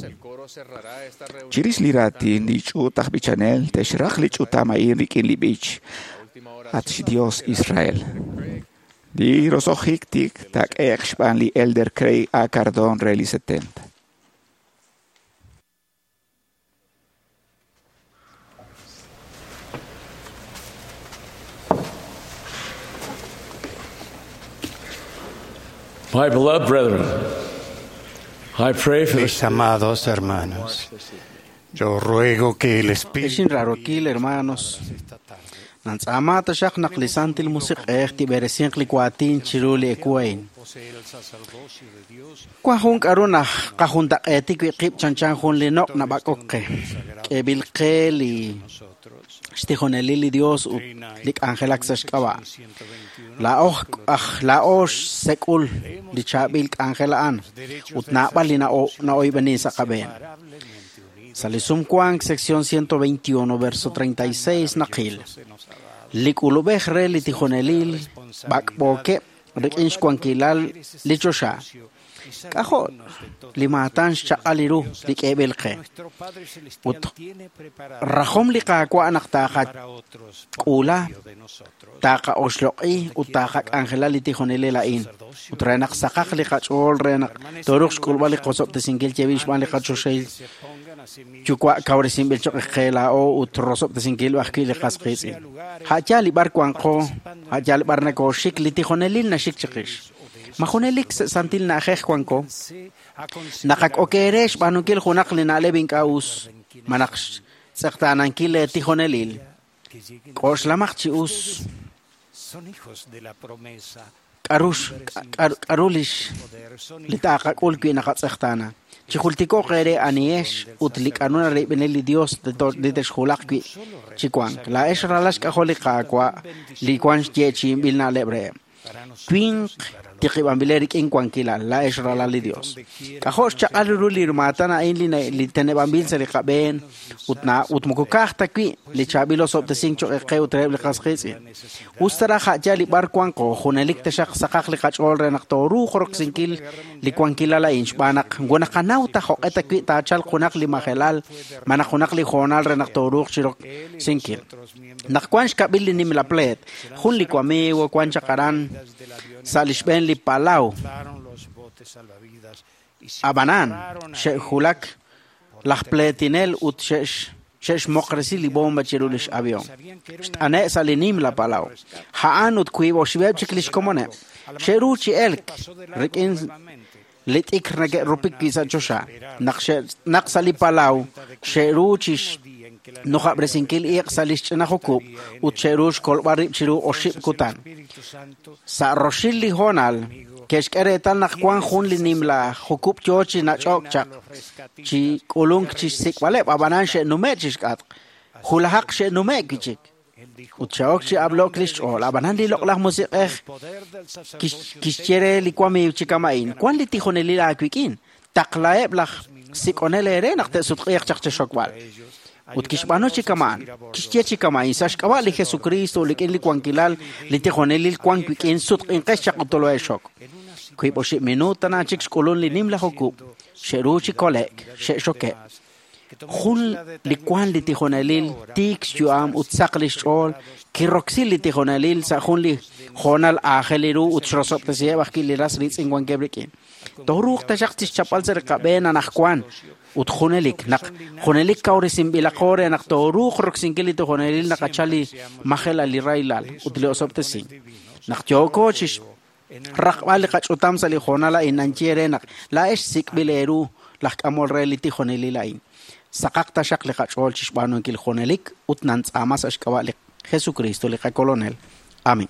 Chirix li raatin li ch'uut aj b'ichanel te'xraq li ch'utam a'in rik'in li b'ich At xDios Israel. Li rosojik tik taak'e'q xb'aan li Elder Craig A. Cardon re li setenta. My beloved brethren, I pray for Mis amados hermanos, yo ruego que el Espíritu Exin rarokil hermanos, nantz'ama taxaq naq li santil musiq'ej tib'eresinq li kuatin chiru li ekuain. Kuan jun k'aru naj qajuntaq'eetik wi' qib' chanchan jun li noq' nab'ak'ok qe. K'eeb'il qe li xtijonelil li Dios ut li k'anjelak sa' xk'ab'a'. Laa'oj aj laa'ox sek'ul li chaab'il k'anjel a'an ut naab'al li na'oyb'enin sa' qab'een. Sa' li sumwank sección ciento veintiuno verso treinta y seis naqil. Li k'ulub'ej re li tijonelil b'ak'b'ookeb' rik'in xwankilal li choxa. K'ajo' li maatan xchaq'al ru li k'eeb'il qe. Ut rajom li qaawa' naq taaqak'uula, taaqa'oxloq'i ut taaqak'anjela li tijonelil a'in. Ut re naq saqaq li qach'ool re naq tooruuq xk'ulb'al li qosob'tesinkil yeeb'il xb'aan li qachoxahil yuwa' kawresinb'il choq' qe laa'o ut rosob'tesinkil ajwi' li qas qiitz'in. Ha'yaal li b'ar wanqo, ha'yaal b'ar nakooxik, li tijonelil naxik chiqix. Ma junelik santil na'ajej wanko, naqak'okeere xb'aanunkil junaq li na'leb' ink'a' us, ma naq xtz'eqtaanankil le tijonelil. K'oxlamaq chi us k'aru k'aru lix li taaqak'ul wi' naqatz'eqtaana. Chijultiko'q eere anihex ut li k'aru narib'inel li Dios li texjulaq wi' chi wank. Laa'ex ralal xk'ajol li Qaawa' li wan xyeechi'inb'il na'leb' reheb'. Winq tiqib'anb'ile rik'in wankilal, laa'ex ralal li Dios. K'ajo' xchaq'al ru li maatan a'in li teneb'anb'il sa' li qab'een ut na ut moko ka'aj ta wi' li chaab'il osob'tesink choq' qe ut reheb' li qas qiitz'in. Us ta raj ha'yaal li b'ar wanqo, junelik taxaq saqaq li qach'ool re naq tooruuq roksinkil li wankilal a'in xb'aan naq naqanaw ta jo'q'e ta wi' taachalq junaq li majelal, malaj junaq li hoonal re naq tooruuq chiroksinkil. Naq wan xkab'il li nimla pleet, jun li wamiigo wan chaq aran sa' li xb'een li palaw. Ab'anan xe'julak laj pleetinel ut xe'xmoqresi li bomba chiru lix avión. Xt'ane' sa' li nimla palaw. A'an ut wiib' oxib'eb' chik lix komoneb'. Xe'ru chi elk rik'in li t'ikr neke'rupik wi' sa' choxa. Naq naq sa' li palaw xe'ru chi nujab'resinkil iq' sa' li xch'ina jukub' ut xe'ru xkolb'al rib' chiru oxib' kutan. Sa' roxil li hoonal ke'xk'e reetal naq wan jun li nimla jukub' yoo chi nach'ok chaq chi k'ulunk chi xsik'b'aleb' ab'anan xe'nume' chi xk'atq. Julajaq xe'nume' wi' chik. Ut xe'ok chi ab'lok li xch'ool. Ab'anan li loq'laj musiq'ej kixye re li wamiiw chi kama'in. Wan li tijonelil aawik'in. Taqlaheb' laj sik'onel eere naq te'sutq'iiq chaq chexokb'al. Ut kixb'aanu chi kama'an, kixye chi kama'in sa' xk'ab'a' li Jesucristo rik'in li wankilal li tijonelil wan wik'in sutq'inqex chaq ut tolo'exok. Wiib' oxib' minuut tana chik xk'ulun li nimla jukub', xe'ru chi kole'k, xe'xokeb'. Jun li wan li tijonelil tiik xyu'am ut saq li xch'ool kiroksi li tijonelil sa' jun li hoonal aajel ru ut xrosob'tesiheb' ajwi' li ras riitz'in wankeb' rik'in. Tooruuq taxaq chixchapb'al sa' li qab'een anaqwan ut junelik naq junelik kawresinb'ilaqo re naq tooruuq roksinkil li tijonelil naqachal li majelal li rahilal ut li osob'tesink. Naq yooko chi raqb'al li qach'utam sa' li hoonal a'in nanye re naq laa'ex sik'b'il eeru laj k'amol re li tijonelil a'in. Saqaq taxaq li qach'ool chi xb'aanunkil junelik ut nantz'aama sa' xk'ab'a' li Jesucristo li qakolonel. Amén.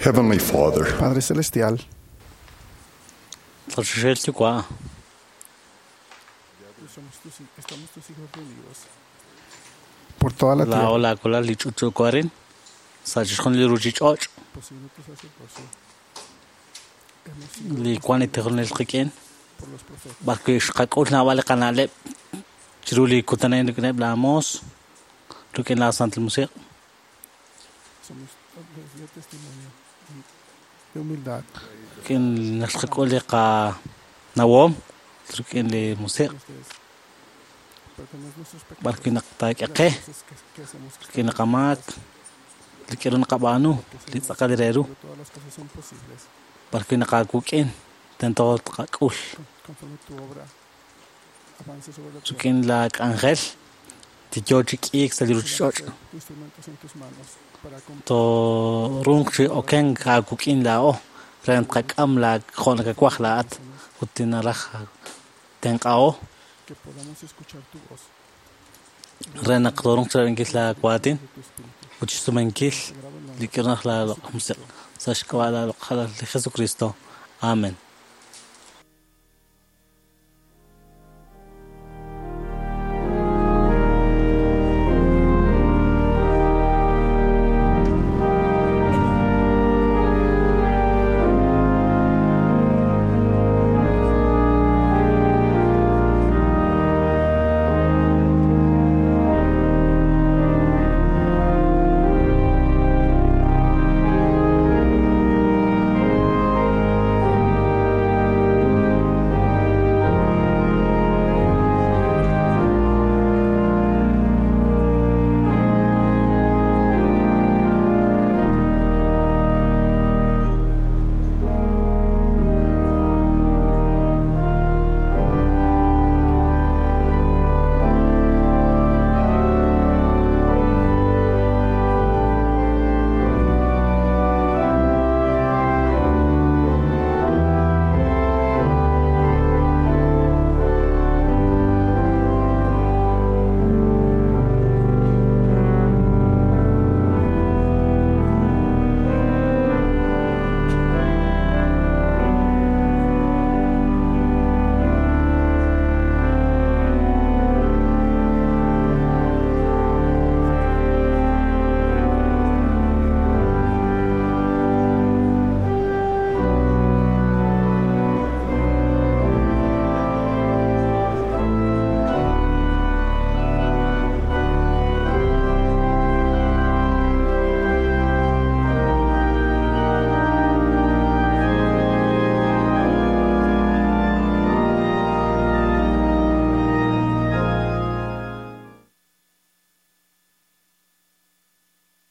Heavenly Father, Padre Celestial, Estamos tus hijos reunidos por toda la tierra, poseyendo tu sacerdocio. Li wan tijonel qik'in Por los profetas. b'arwi' xqak'ul naab'al li qana'leb' chiru li kutanen rik'ineb' la moos rik'in la Santil Musiq' Somos les dio testimonio de humildad, rik'in naq xqak'ul li qanawoom rik'in li musiq' Perdonas nuestros pecados. b'arwi' naq taak'e qe Las cosas que, que hacemos que rik'in li qamaak li k'eru naqab'aanu li tz'aqal re ru todas las cosas son posibles. b'arwi' naqaakuk'in tento tqak'ul Conforme tu obra avance sobre la tierra. rik'in la k'anjel tiyo chi k'iik sa' li ruchich'och' Tu instrumentos en tus manos para toruuq chi okenk aakuk'in laa'o re tqak'am la jo' nakawaj laa'at ut tinaraj tenq'a'o que podamos escuchar tu voz. re naq toruuq chirab'inkil la waatin ut xsumenkil li k'irnaj la loq' musiq' sa' xk'ab'a' la loq' li Jesucristo. Amen.